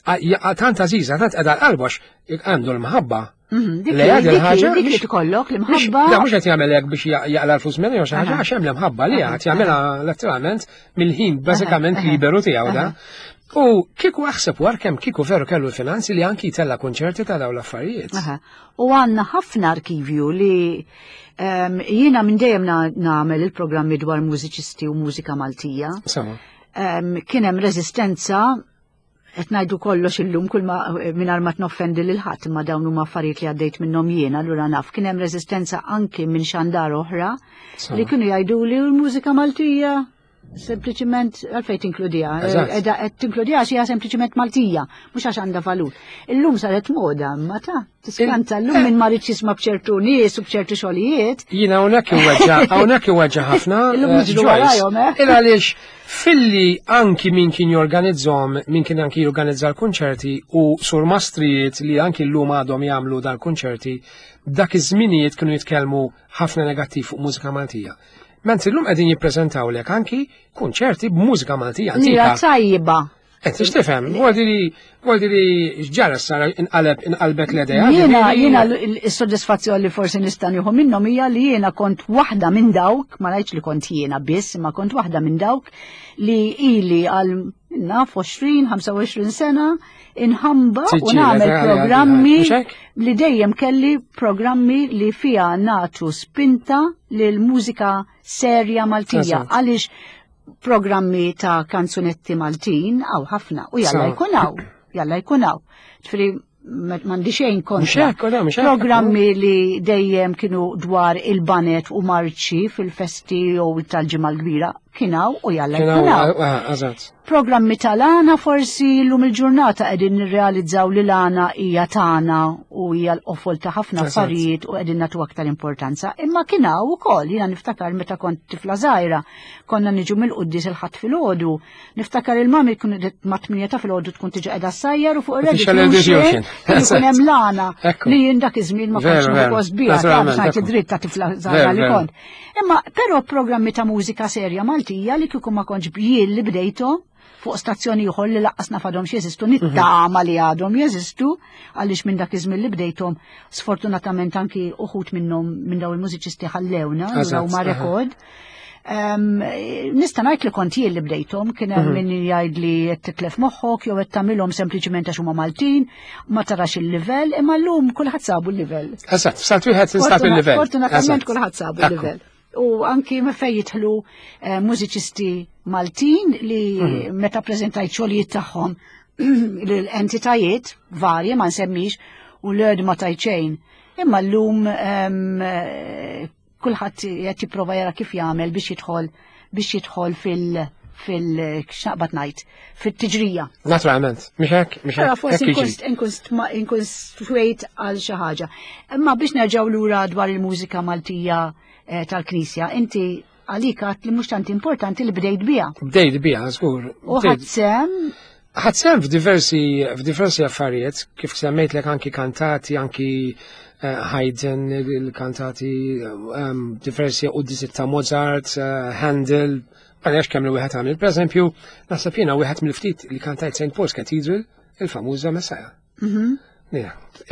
tant għażiża, tant qiegħda l-qalbu għax għandu l-mħabba.
Mhm, li għad il-ħaġa. Dik li tkollok l-imħabba.
Da mhux qed jagħmel hekk biex jaqla l-flus minni jew xi ħaġa għax hemm l-imħabba li għad jagħmilha letteralment mill-ħin bażikament liberu tiegħu da. U kieku aħseb war kemm kieku veru kellu l-finanzi li anki jtella kunċerti ta' dawn l-affarijiet.
U għandna ħafna arkivju li ehm, jiena minn dejjem nagħmel il-programmi dwar mużiċisti u mużika Maltija. Ehm, kien hemm reżistenza qed ngħidu kollox illum kull ma mingħajr ma tnoffendi lil ħadd imma dawn huma affarijiet li għaddejt minnhom jien, allura naf kien hemm reżistenza anki minn xandar oħra li kienu jgħiduli l-mużika Maltija. Sempliċiment għalfejn tinkludiha, qiegħda qed tinkludiha għax hija sempliċiment Maltija, mhux għax għandha valur. Illum saret moda, ma ta' tiskanta llum min ma ridx jisma' b'ċertu nies u b'ċertu xogħlijiet.
Jiena hawnhekk iweġġa' hawnhekk iweġġa' ħafna.
Illum niġru warajhom, eh?
Il għaliex filli anki min kien jorganizzhom, min kien anki jorganizza l-kunċerti u surmastrijiet li anki llum għadhom jagħmlu dal-kunċerti, dak iż-żminijiet kienu jitkellmu ħafna negattiv fuq mużika Maltija. Mentri llum qegħdin jippreżentawlek anki kunċerti b'mużika Maltija
antika. Hija tajba.
Qed tix tifhem, għaldi li x'ġara sara inqaleb inqalbet l-idea.
Jiena jiena s-sodisfazzjon li forsi nista' nieħu minnhom hija li jiena kont waħda minn dawk, ma ngħidx li kont jiena biss, imma kont waħda minn dawk li ili għal naf 20, 25 sena inħamba u nagħmel programmi li dejjem kelli programmi li fiha nagħtu spinta lil mużika serja Maltija għaliex programmi ta' kanzunetti Maltin għaw ħafna u jalla jkun hawn, jalla jkun hawn. Ġifieri m'għandi xejn kontra. Programmi li dejjem kienu dwar il-banet u marċi fil-festi jew tal-ġimgħa l-kbira kien hawn u jalla jkun hawn.
Ah, ah,
Programmi tal-għana forsi llum il-ġurnata qegħdin nirrealizzaw li l-għana hija tagħna u hija l-qofol ta' ħafna affarijiet u qegħdin nagħtu aktar importanza. Imma kien hawn ukoll, jiena niftakar meta kont tifla żgħira, konna niġu mill-quddies il-Ħadd filgħodu, niftakar il-mami tkun ma' tminja ta' filgħodu tkun tiġi qiegħda ssajjar u fuq ir-radio ikun hemm l-għana li jien dak iż-żmien ma kontx nieħu gost biha, ta' dritt ta' tifla żgħira li kont. Imma però programmi ta' mużika serja Maltija li kieku ma kontx jien li bdejthom fuq stazzjoni ieħor li laqqas nafadhom jeżistu, mhm. nittama li għadhom jeżistu, għaliex minn dak iż-żmien li bdejthom sfortunatament anki uħut minnhom minn daw il-mużiċisti ħallewna, huma rekord. Nista' ngħid li kont jien li bdejthom, kien hemm mhm. min jgħid li qed titlef moħħok jew qed tagħmilhom sempliċiment għax huma Maltin, ma tarax il-livell, imma llum kulħadd sabu l-livell.
Eżatt, f'salt wieħed instab il-livell.
Fortunatament kulħadd sabu l-livell. U anki me fejn jidħlu eh, mużiċisti Maltin li mhm. meta preżentajt xogħlijiet tagħhom l-entitajiet varji ma nsemmix u l-ed ma tajċejn. Imma llum eh, kulħadd qed jipprova jara kif jagħmel biex jidħol biex jidħol fil- fil x'naqbad ngħid fit-tiġrija.
Naturalment, mhux hekk, mhux hekk.
Forsi inkun swejt għal xi ħaġa. Imma biex nerġgħu lura dwar il-mużika Maltija eh, tal-Knisja, inti għalik għat li mhux tant importanti li bdejt biha.
Bdejt biha, żgur.
U ħadd sem
Ħadd sehem f'diversi f'diversi affarijiet, kif semmejtlek anki kantati, anki eh, Haydn, il-kantati, ehm, diversi quddisit ta' Mozart, eh, Handel, ma nafx kemm li wieħed għamil. Per eżempju, naħseb jiena wieħed mill-ftit li kantajt St. Paul's Cathedral, il-famuża Messiah. Mhm.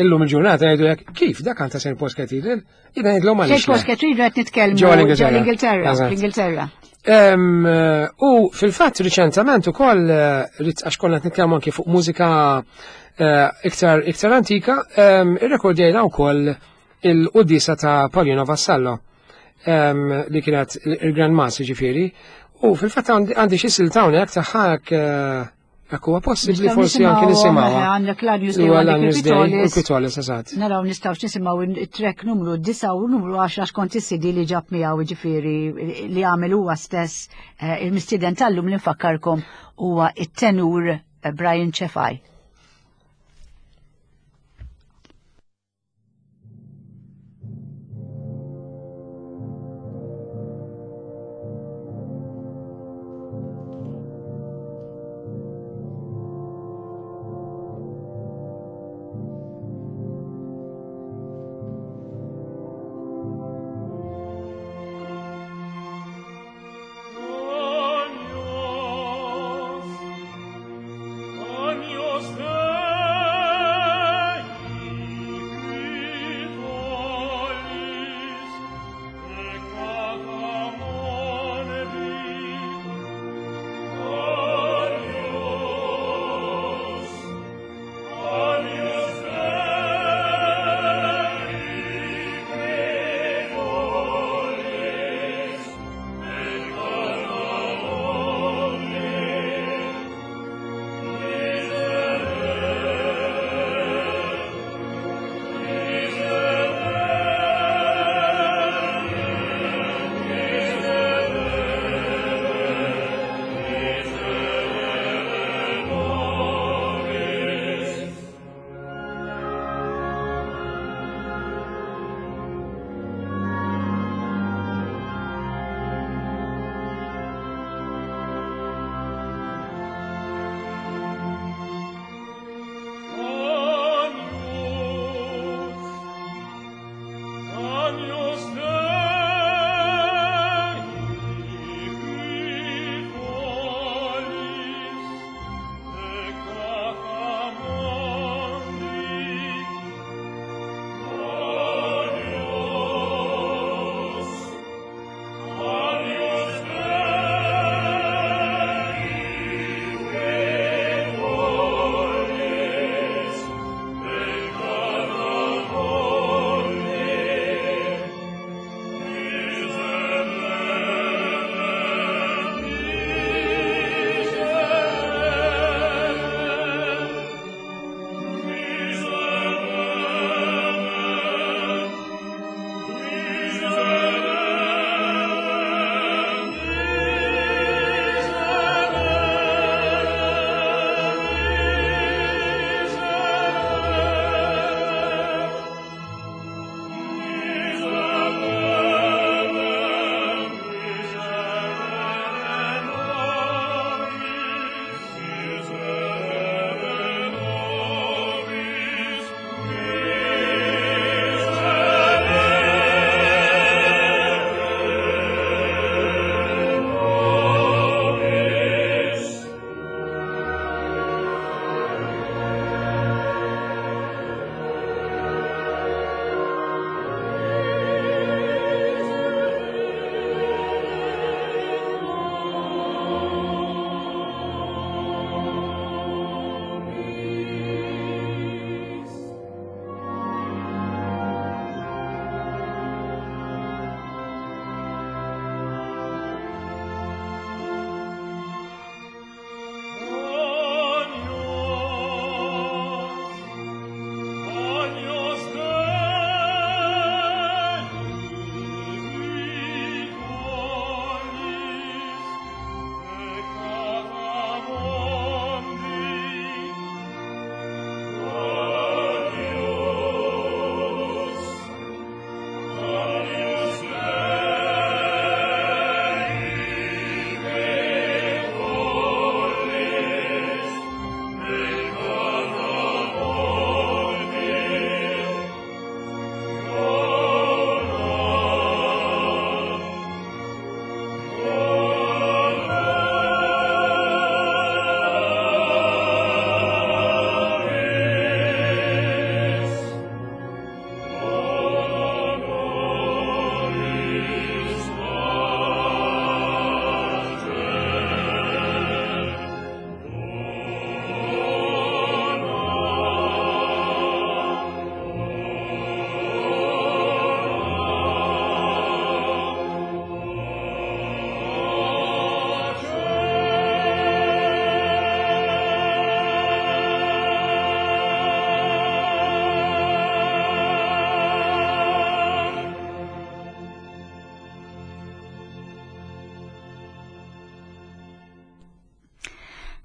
Illum il-ġurnata jgħidu jekk kif dak kanta St. Paul's Cathedral, jien ngħidlhom
għaliex. St. Paul's Cathedral qed nitkellmu ġewwa l-Ingilterra. L-Ingilterra.
U fil-fatt riċentament ukoll eh, għax konna qed nitkellmu anke fuq mużika eh, iktar iktar antika, irrekordjajna wkoll il-quddiesa ta' Paulino Vassallo li kienet il-Grand Mass ġifieri. U fil-fatt għandi xi silta hawnhekk tagħha eh, Hekk huwa possibbli forsi anke nisimgħu.
Eh, għandek l-Agnus Dei u
għandek il-Pitolis. Eżatt.
Naraw nistgħux nisimgħu it-trek numru 9 u numru 10 skont is-CD li ġab miegħu jiġifieri li għamel huwa stess eh, il-mistieden tal-lum li nfakkarkom huwa it-tenur eh, Brian Cefai.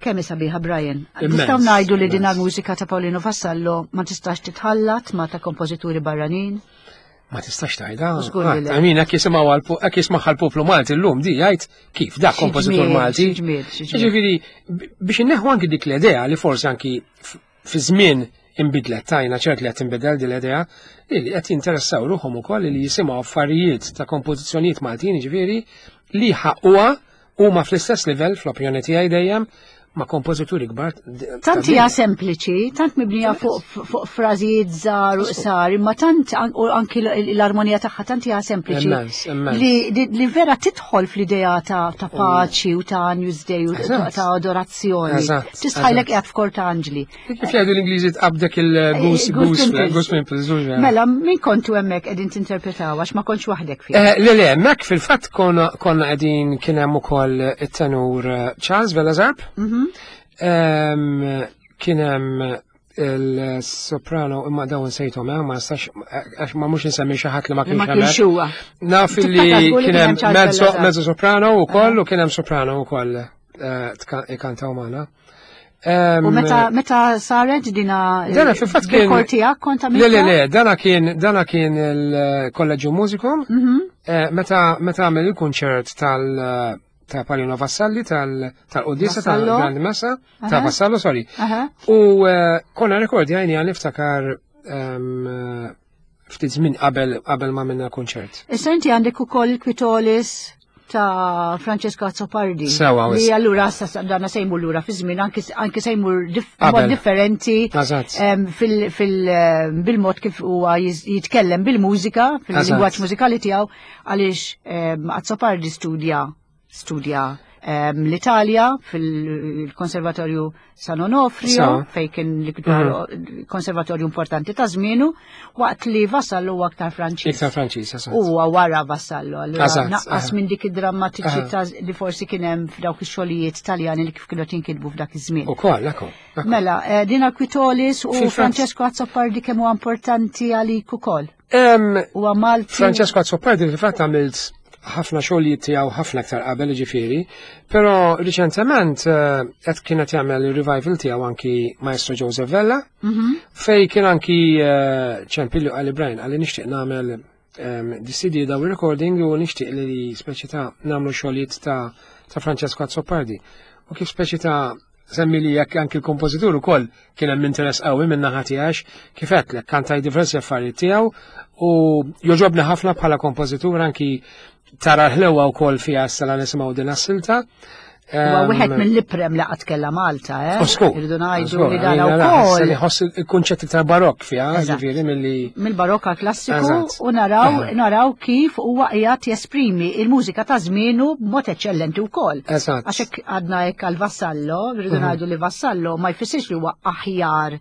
Kemm sabiħa Brian. Nistgħu ngħidu li din mużika ta' Paulino Vassallo ma tistax titħallat ma ta' kompożituri barranin?
Ma tistax tgħidha. Għamin hekk jisimgħu hekk jismagħha l-poplu Malti llum di jgħid kif dak kompożitur Malti. Ġifieri biex inneħħu anki dik l-idea li forsi anki fi żmien inbidlet tajna ċert li qed tinbidel din l-idea li qed jinteressaw ruħhom ukoll li jisimgħu affarijiet ta' kompożizzjonijiet Maltin ġifieri li ħaqquha huma fl-istess livell fl-opinjoni tiegħi dejjem ma' kompożituri kbar.
Tant hija sempliċi, tant mibnija fuq frażijiet żgħar u qsar, imma tant anki l-armonija tagħha tant hija sempliċi. Li vera tidħol fl-idea ta' paċi u ta' Newsday u ta' adorazzjoni. Tistħajlek qiegħed f'kor ta' anġli.
Kif jgħidu l-Ingliżi tqabdek il-goose goose goose pimples.
Mela, min kontu hemmhekk qegħdin tinterpretaw għax ma kontx waħdek
fih. Eh, le, le, hemmhekk fil-fatt konna qegħdin kien hemm ukoll it-tenur eh, Charles Velazarp. Mhm. Kien hemm il-soprano imma dawn sejthom eh, ma nistax għax ma mhux insemmi xi ħadd li ma kienx
huwa.
Naf li kien hemm mezzo soprano wkoll u kien hemm soprano wkoll ikantaw magħna.
U meta meta saret dina
Dana fil-fatt kien
tiegħek kont
Le le le, dana kien dana kien il-Kolleġġju Mużikum. Mhm. Eh, meta meta għamel il-kunċert tal ta' Palino Vassalli tal-Qudisa tal-Grand Messa ta' Vassallo, sorry. U eh, konna rekordjajni għal niftakar ftit żmien qabel qabel ma minna kunċert.
Issa inti għandek ukoll il-Kwitolis ta' Francesco Azzopardi.
Sewa,
Li allura sa dana se jmur lura fi żmien anki se jmur mod differenti fil bil-mod kif huwa jitkellem bil-mużika, fil-lingwaġġ mużikali tiegħu għaliex Azzopardi studja studja l-Italja fil-Konservatorju San Onofrio, fej kien l-iktar mhm. konservatorju importanti ta' żmienu, waqt li Vassallo huwa aktar Franċiż.
Iktar Franċiż, eżatt.
Huwa wara Vassallo, allura naqqas minn dik id-drammatiċità li forsi kien hemm f'dawk ix-xogħlijiet Taljani li kif kienu jinkitbu f'dak iż-żmien.
Ukoll, ekku.
Mela, eh, Dina Quitolis u Francesco Azzopardi kemm huwa importanti għalik ukoll.
Huwa Malti. Francesco Azzopardi fil-fatt għamilt ħafna xogħlijiet tiegħu ħafna aktar qabel ġifieri, però riċentement eh, qed kienet jagħmel il-revival tiegħu anki Maestro Joseph Vella, mhm. fej kien anki eh, ċempillu għalli Brian għalli nixtieq nagħmel ehm, di CD daw recording u nixtieq li speċi ta' nagħmlu xogħlijiet ta' ta' Francesco Azzopardi. U kif speċi ta' Semmi li jekk anki l-kompożitur ukoll kien hemm interess qawwi minn naħa tiegħek kif għedtlek kantaj diversi affarijiet tiegħu u joġobni ħafna bħala kompożitur anki tara l-ħlewa wkoll fiha issa la nisimgħu din as-silta.
Huwa wieħed mill-iprem li qatt kellha Malta, eh? Irridu ngħidu li dan ukoll.
Ħoss il-kunċett iktar barokk fiha, ġifieri milli.
Mill-barokka klassiku u naraw naraw kif huwa qiegħed jesprimi il-mużika ta' żmienu b'mod eċċellenti wkoll.
Għax
hekk għadna hekk għal Vassallo, rridu mhm. ngħidu li Vassallo ma jfissirx li huwa aħjar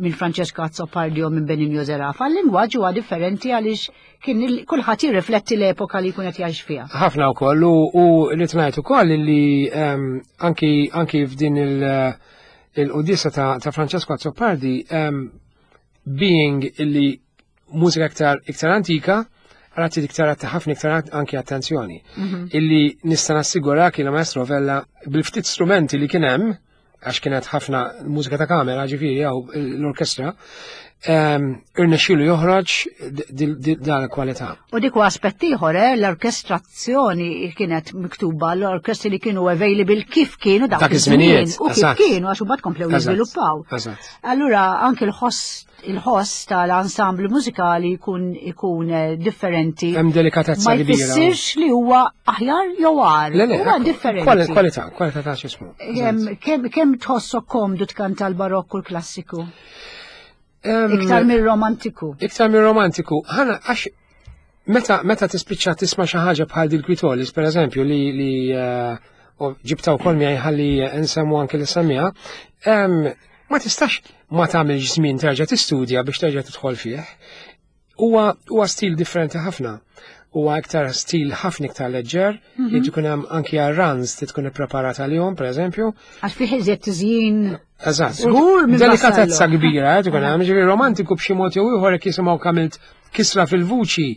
minn Francesco Azzopardi u minn Benigno Zerafa. L-lingwaġġ huwa differenti għaliex kien kulħadd jirrifletti l-epoka li jkun qed jgħix fiha.
Ħafna wkoll u li tnajt ukoll li ehm, anki anki f'din il-qudisa ta' Francesco Azzopardi ehm, being illi mużika iktar iktar antika, għarati iktar ħafna iktar anki attenzjoni. Mhm. Illi nista' nassigura kien maestro Vella bil-ftit strumenti li kien hemm, għax kienet ħafna mużika ta' kamera, ġifieri jew l-orkestra, ehm, irnexxielu joħroġ dan il-kwalità.
U dik huwa aspett ieħor, eh, l-orkestrazzjoni kienet miktuba l-orkestri li kienu available kif kienu dak iż-żmien u kif kienu għax imbagħad komplew jiżviluppaw. Allura anke l-ħoss il-ħoss tal-ensemble mużikali jkun ikun eh, differenti.
Hemm delikatezza
Ma jfissirx li huwa aħjar jew għar.
Le, le, huwa differenti. Kwalità, kwalità ta' x'ismu.
Kemm tħossok komdu tkanta l-barokku l-klassiku? Iktar mir-romantiku.
Iktar mir-romantiku. Ħana għax meta meta tispiċċa tisma' xi ħaġa bħal dil-kwitolis, per eżempju, li li eh, ġibta wkoll miegħi ħalli nsemmu anke li semmiha, ma tistax ma tagħmilx żmien terġa' tistudja biex terġa' tidħol fih. Huwa huwa stil differenti ħafna. Huwa iktar stil ħafna iktar leġġer, mm -hmm. tkun hemm anki għar-runs ti tkun ippreparat għalihom, pereżempju.
Għax fih iżjed tiżjin.
Eżatt. Żgur minn Delikatezza kbira, eh, tkun hemm, ġifieri romantiku b'xi mod jew ieħor jekk jisimgħu kamilt Kisra fil-vuċi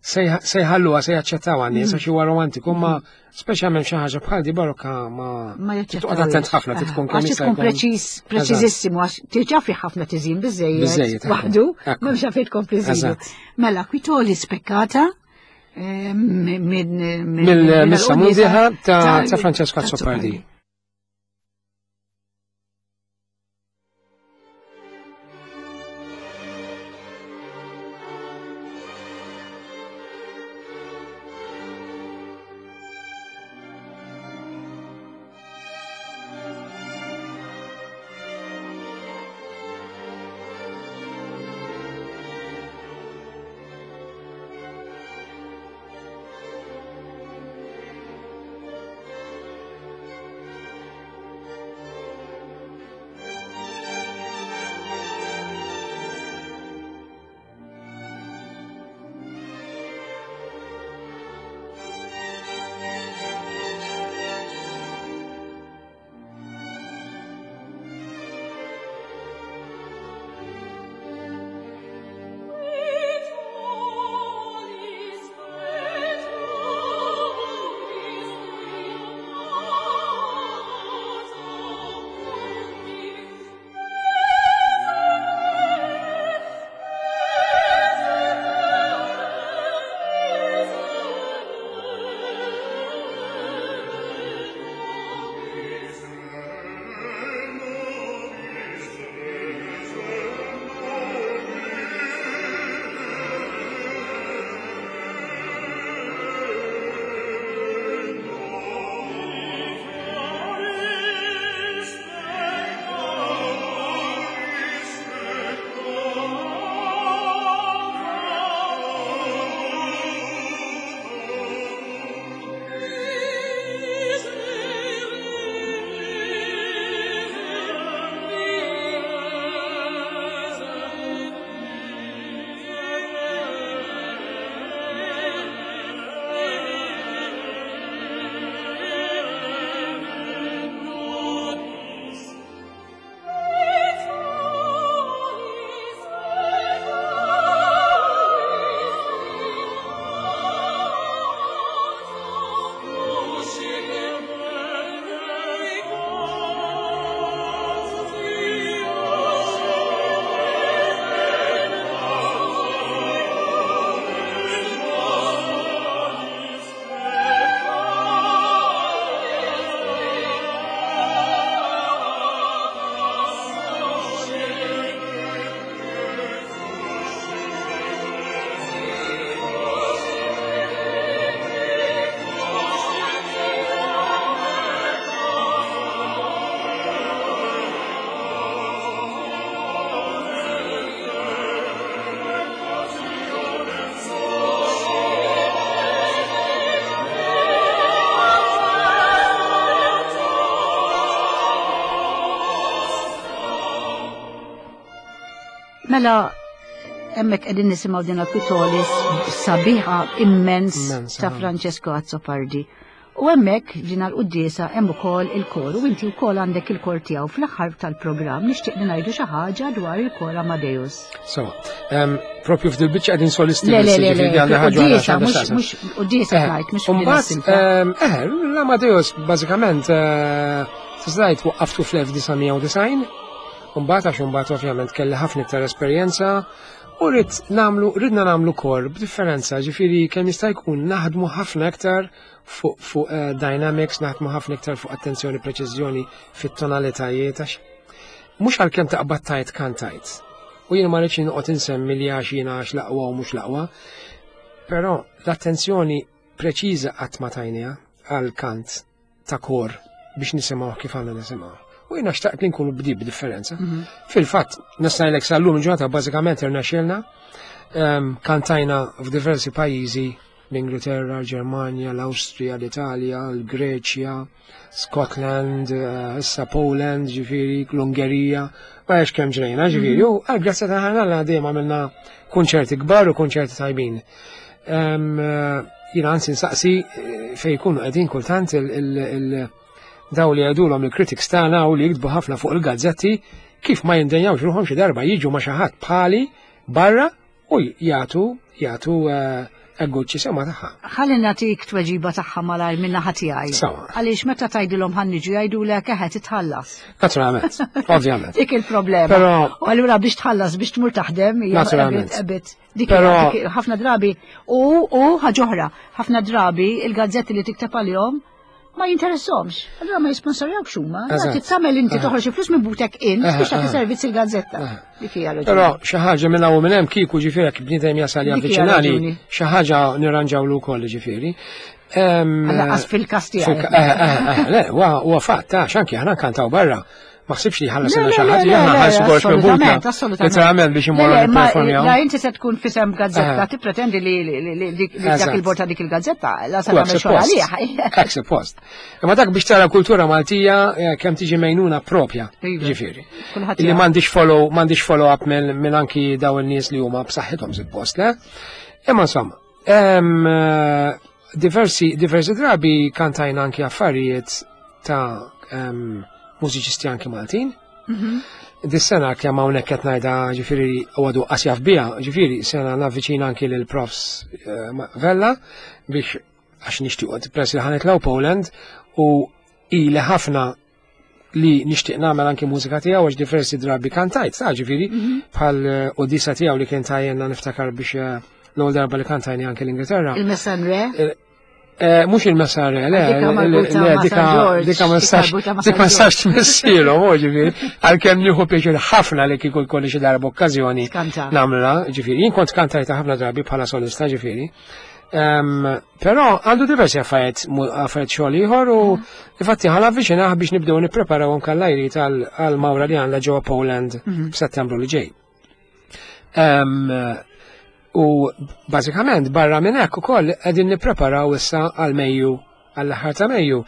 se jħalluha se jaċċettawha nies għax huwa romantiku, ma speċjalment xi ħaġa bħal di barokka ma
Ma jaċċettawhiex.
Toqgħod attent ħafna trid tkun kemm
Għax
jista'
tkun
jkun.
preċiż, preċiżissimu, għax diġà fi ħafna tiżin biżejjed.
Biżejjed, ekku.
Waħdu,
Ekku.
m'hemmx għalfejn tkompli żidu.
Eżatt.
Mela, kwitoli spekkata minn
Mill-Missa Mundiħa ta' Francesco Azzopardi.
Mela, hemmhekk qegħdin nisimgħu din Kwitolis sabiħa immens
Immens,
ta'
ah.
Francesco Azzopardi. U hemmhekk ġina l-quddiesa hemm ukoll il-kor u inti wkoll għandek il-kor tiegħu fl-aħħar tal-programm nixtieq li ngħidu xi ħaġa dwar il-kor Amadeus.
So, propju f'dil biċċa qegħdin solisti
Le, le,
biss,
le, le,
jiġifieri għandna ħaġa oħra
quddiesa
x'għandha
mhux
x'taqsam.
mhux quddiesa ngħid mhux f'din
Umbagħad,
is-silta.
l-Amadeus bażikament tista' tgħid waqqaftu fl-1990, umbagħad għax umbagħad ovvjament kelli ħafna iktar esperjenza u rrid nagħmlu ridna nagħmlu kor b'differenza, ġifieri kemm jista' jkun naħdmu ħafna iktar fuq dynamics, naħdmu ħafna iktar fuq attenzjoni, preċiżjoni fit-tonalitajiet għax mhux għalkemm taqbad tajt kantajt. U jiena ma rridx noqgħod insemmi li għax jiena għax l-aqwa u mhux l-aqwa, però l-attenzjoni preċiża qatt ma tajniha għal kant ta' kor biex nisimgħu kif għandna nisimgħu. U jiena xtaqt li nkunu bdi b'differenza. Fil-fatt, nista' ngħidlek sal-lum il-ġurnata bażikament irnexxielna, kantajna f'diversi pajjiżi, l-Ingilterra, l-Ġermanja, l-Awstrija, l-Italja, l-Greċja, Scotland, issa Poland, ġifieri, l-Ungerija, ma għax kemm ġrejna, ġifieri, u għal grazzja ta' ħana l dejjem għamilna kunċerti kbar u kunċerti tajbin. Jiena anzi nsaqsi fejn jkunu qegħdin kultant daw li jgħidulhom il-critics tagħna u li jiktbu ħafna fuq il-gazzetti kif ma jindenjawx ruħhom xi darba jiġu ma' xi ħadd bħali barra u jagħtu jagħtu eh, Egguċi sema tagħha.
Ħalli nagħtik tweġiba tagħha malajr minn naħa tiegħi. Għaliex meta tgħidilhom ħa niġu jgħidulek eħe titħallas.
Naturalment, ovvjament.
Dik il-problema. Però u allura biex tħallas biex tmur taħdem
hija Naturalment.
Dik ħafna drabi u u ħaġa oħra, ħafna drabi il-gazzetti li tikteb għalihom ma jinteressomx. Allura ma jisponsorjawx huma. Titsamel inti toħroġ il-flus minn butek int biex tagħti servizz il-gazzetta.
Dik hija raġuni. Però xi ħaġa minn hawn minn hemm kieku ġifieri jekk bniedem jasal javviċinali, xi ħaġa nirranġawlu wkoll ġifieri.
Għas fil-kas tiegħek.
Eh, eh, eh, le, huwa fatt, għax anki aħna nkantaw barra. Ma ħsibx li ħallas xi ħadd li aħna ħallsu kollox minn butna. Literalment biex imorru nipperformjaw.
La inti se tkun fisem gazzetta tippretendi li dak il-bord ta' dik il-gazzetta la se tagħmel xogħol għalih.
Hekk suppost. Imma dak biex tara kultura Maltija kemm tiġi mejnuna propja, iva. ġifieri. Li m'għandix follow m'għandix follow up minn anki daw in-nies li huma b'saħħithom suppost, le? Imma insomma, diversi diversi drabi kantajna anki affarijiet ta' mużiċisti anki Maltin. Mhm. Dis-sena kemm hawnhekk qed ngħidha ġifieri għadu qas jaf biha, ġifieri sena navviċina anki lil profs eh, Vella biex għax nixtiequ press li ħanitlgħu Poland u ili ħafna li nixtieq nagħmel anki mużika tiegħu għax diversi drabi kantajt, ta' ġifieri mhm. bħal eh, Odisa tiegħu li kien tajjenna niftakar biex eh, l-ewwel darba li kantajni anki l-Ingilterra.
Il-Messan Re?
Eh, mux il-messare, le, le, dika, dika ma nistax, dik ma nistax tmissilo, ġifiri, għal-kem nieħu pjaċir ħafna li kieku jkolli xi darba okkażjoni namla, ġifiri, jien kont kantajta ħafna drabi bħala solista, ġifiri. Però għandu diversi affarijiet affarijiet xogħol ieħor u infatti ħala avviċinah biex nibdew nippreparaw anke l-ajri tal-mawra li għandha ġewwa Poland mhm. f'Settembru li ġej. U bażikament barra minn hekk ukoll qegħdin nippreparaw issa għal Mejju għall-aħħar ta' Mejju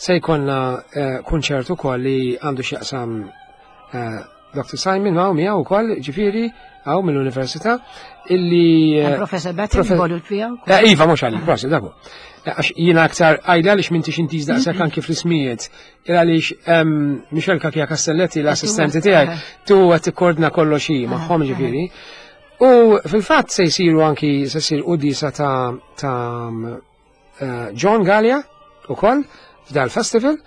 se jkollna eh, kunċert ukoll li għandu x'jaqsam eh, Dr. Simon hawn miegħu wkoll ġifieri hawn mill-Università illi
eh, Professor Betty involut fiha.
Iva mhux għalik, prosi daku. Għax jiena aktar għajda għaliex m'intix intiż daqshekk anki fl-ismijiet. Għaliex Michel Kakia Castelletti l-assistenti tiegħi tu qed tikkordna kollox hi magħhom ġifieri. U fil-fatt se jsiru anki se jsir qudisa ta' ta' eh, John Gallia ukoll f'dal festival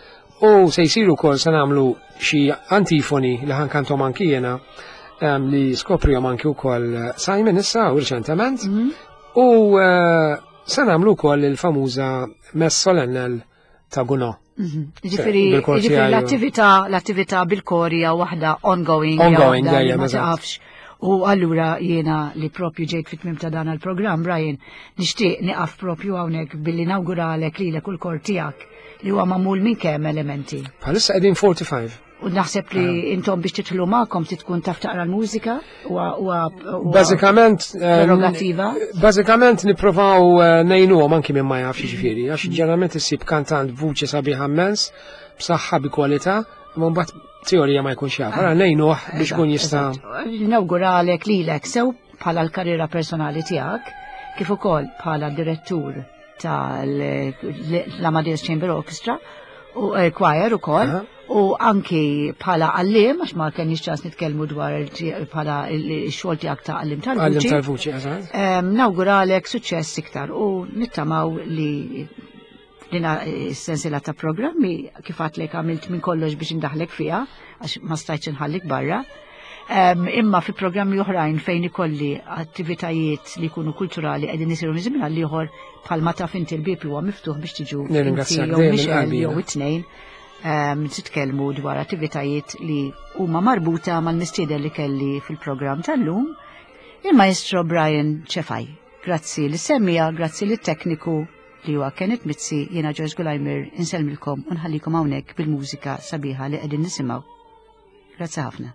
u se jsiru wkoll se nagħmlu xi antifoni li ħankantom anki jiena li skoprihom anki wkoll Simon issa u riċentement. Mhm. U eh, se nagħmlu wkoll il-famuża Mess Solennel ta' Guno.
Mhm. Ġifieri l-attività l-attività bil-korja waħda ongoing.
Ongoing, dejjem, ma
taqafx. U allura jiena li propju ġejt fit-tmim ta' dan il-programm, Brian, nixtieq nieqaf propju hawnhekk billi nawguralek lilek u l-kor tiegħek li huwa magħmul minn kemm elementi.
Bħalissa qegħdin 45.
U naħseb li ah. intom biex titħlu magħkom titkun taf taqra l-mużika
huwa bażikament
eh, prerogativa.
Bażikament nipprovaw eh, ngħinuhom anki minn ma jafx jiġifieri, għax mm. ġeneralment issib kantant vuċi sabiħa immens, b'saħħa bi kwalità, imma mbagħad teorija ma jkunx jaf. Allora ngħinuh biex ikun jista'
Nawguralek lilek sew bħala l-karriera personali tiegħek, kif ukoll bħala direttur tal-Amadeus Chamber Orchestra u eh, choir ukoll u anki bħala għallim għax ma kenniex ċans nitkellmu dwar bħala x-xogħol tiegħek ta' għallim tal-vuċi.
Għallim tal-vuċi, eżatt.
Nawguralek suċċess iktar u nittamaw li dina s-sensila ta' programmi kif għatlek għamilt minn kollox biex indaħlek fiha għax ma stajtx inħallik barra. Imma fi programmi oħrajn fejn ikolli attivitajiet li jkunu kulturali qegħdin isiru minn żmien għal ieħor bħalma taf inti l-bieb huwa miftuħ biex tiġu
jew
Michelle jew it-tnejn titkellmu dwar attivitajiet li huma marbuta mal-mistieden li kelli fil-programm tal-lum, il-Maestro Brian Cefai. Grazzi li semmija, grazzi li tekniku li huwa Kenneth Mizzi, jiena Joyce Gulajmir, insellmilkom u nħallikom hawnhekk bil-mużika sabiħa li qegħdin nisimgħu. Grazzi ħafna.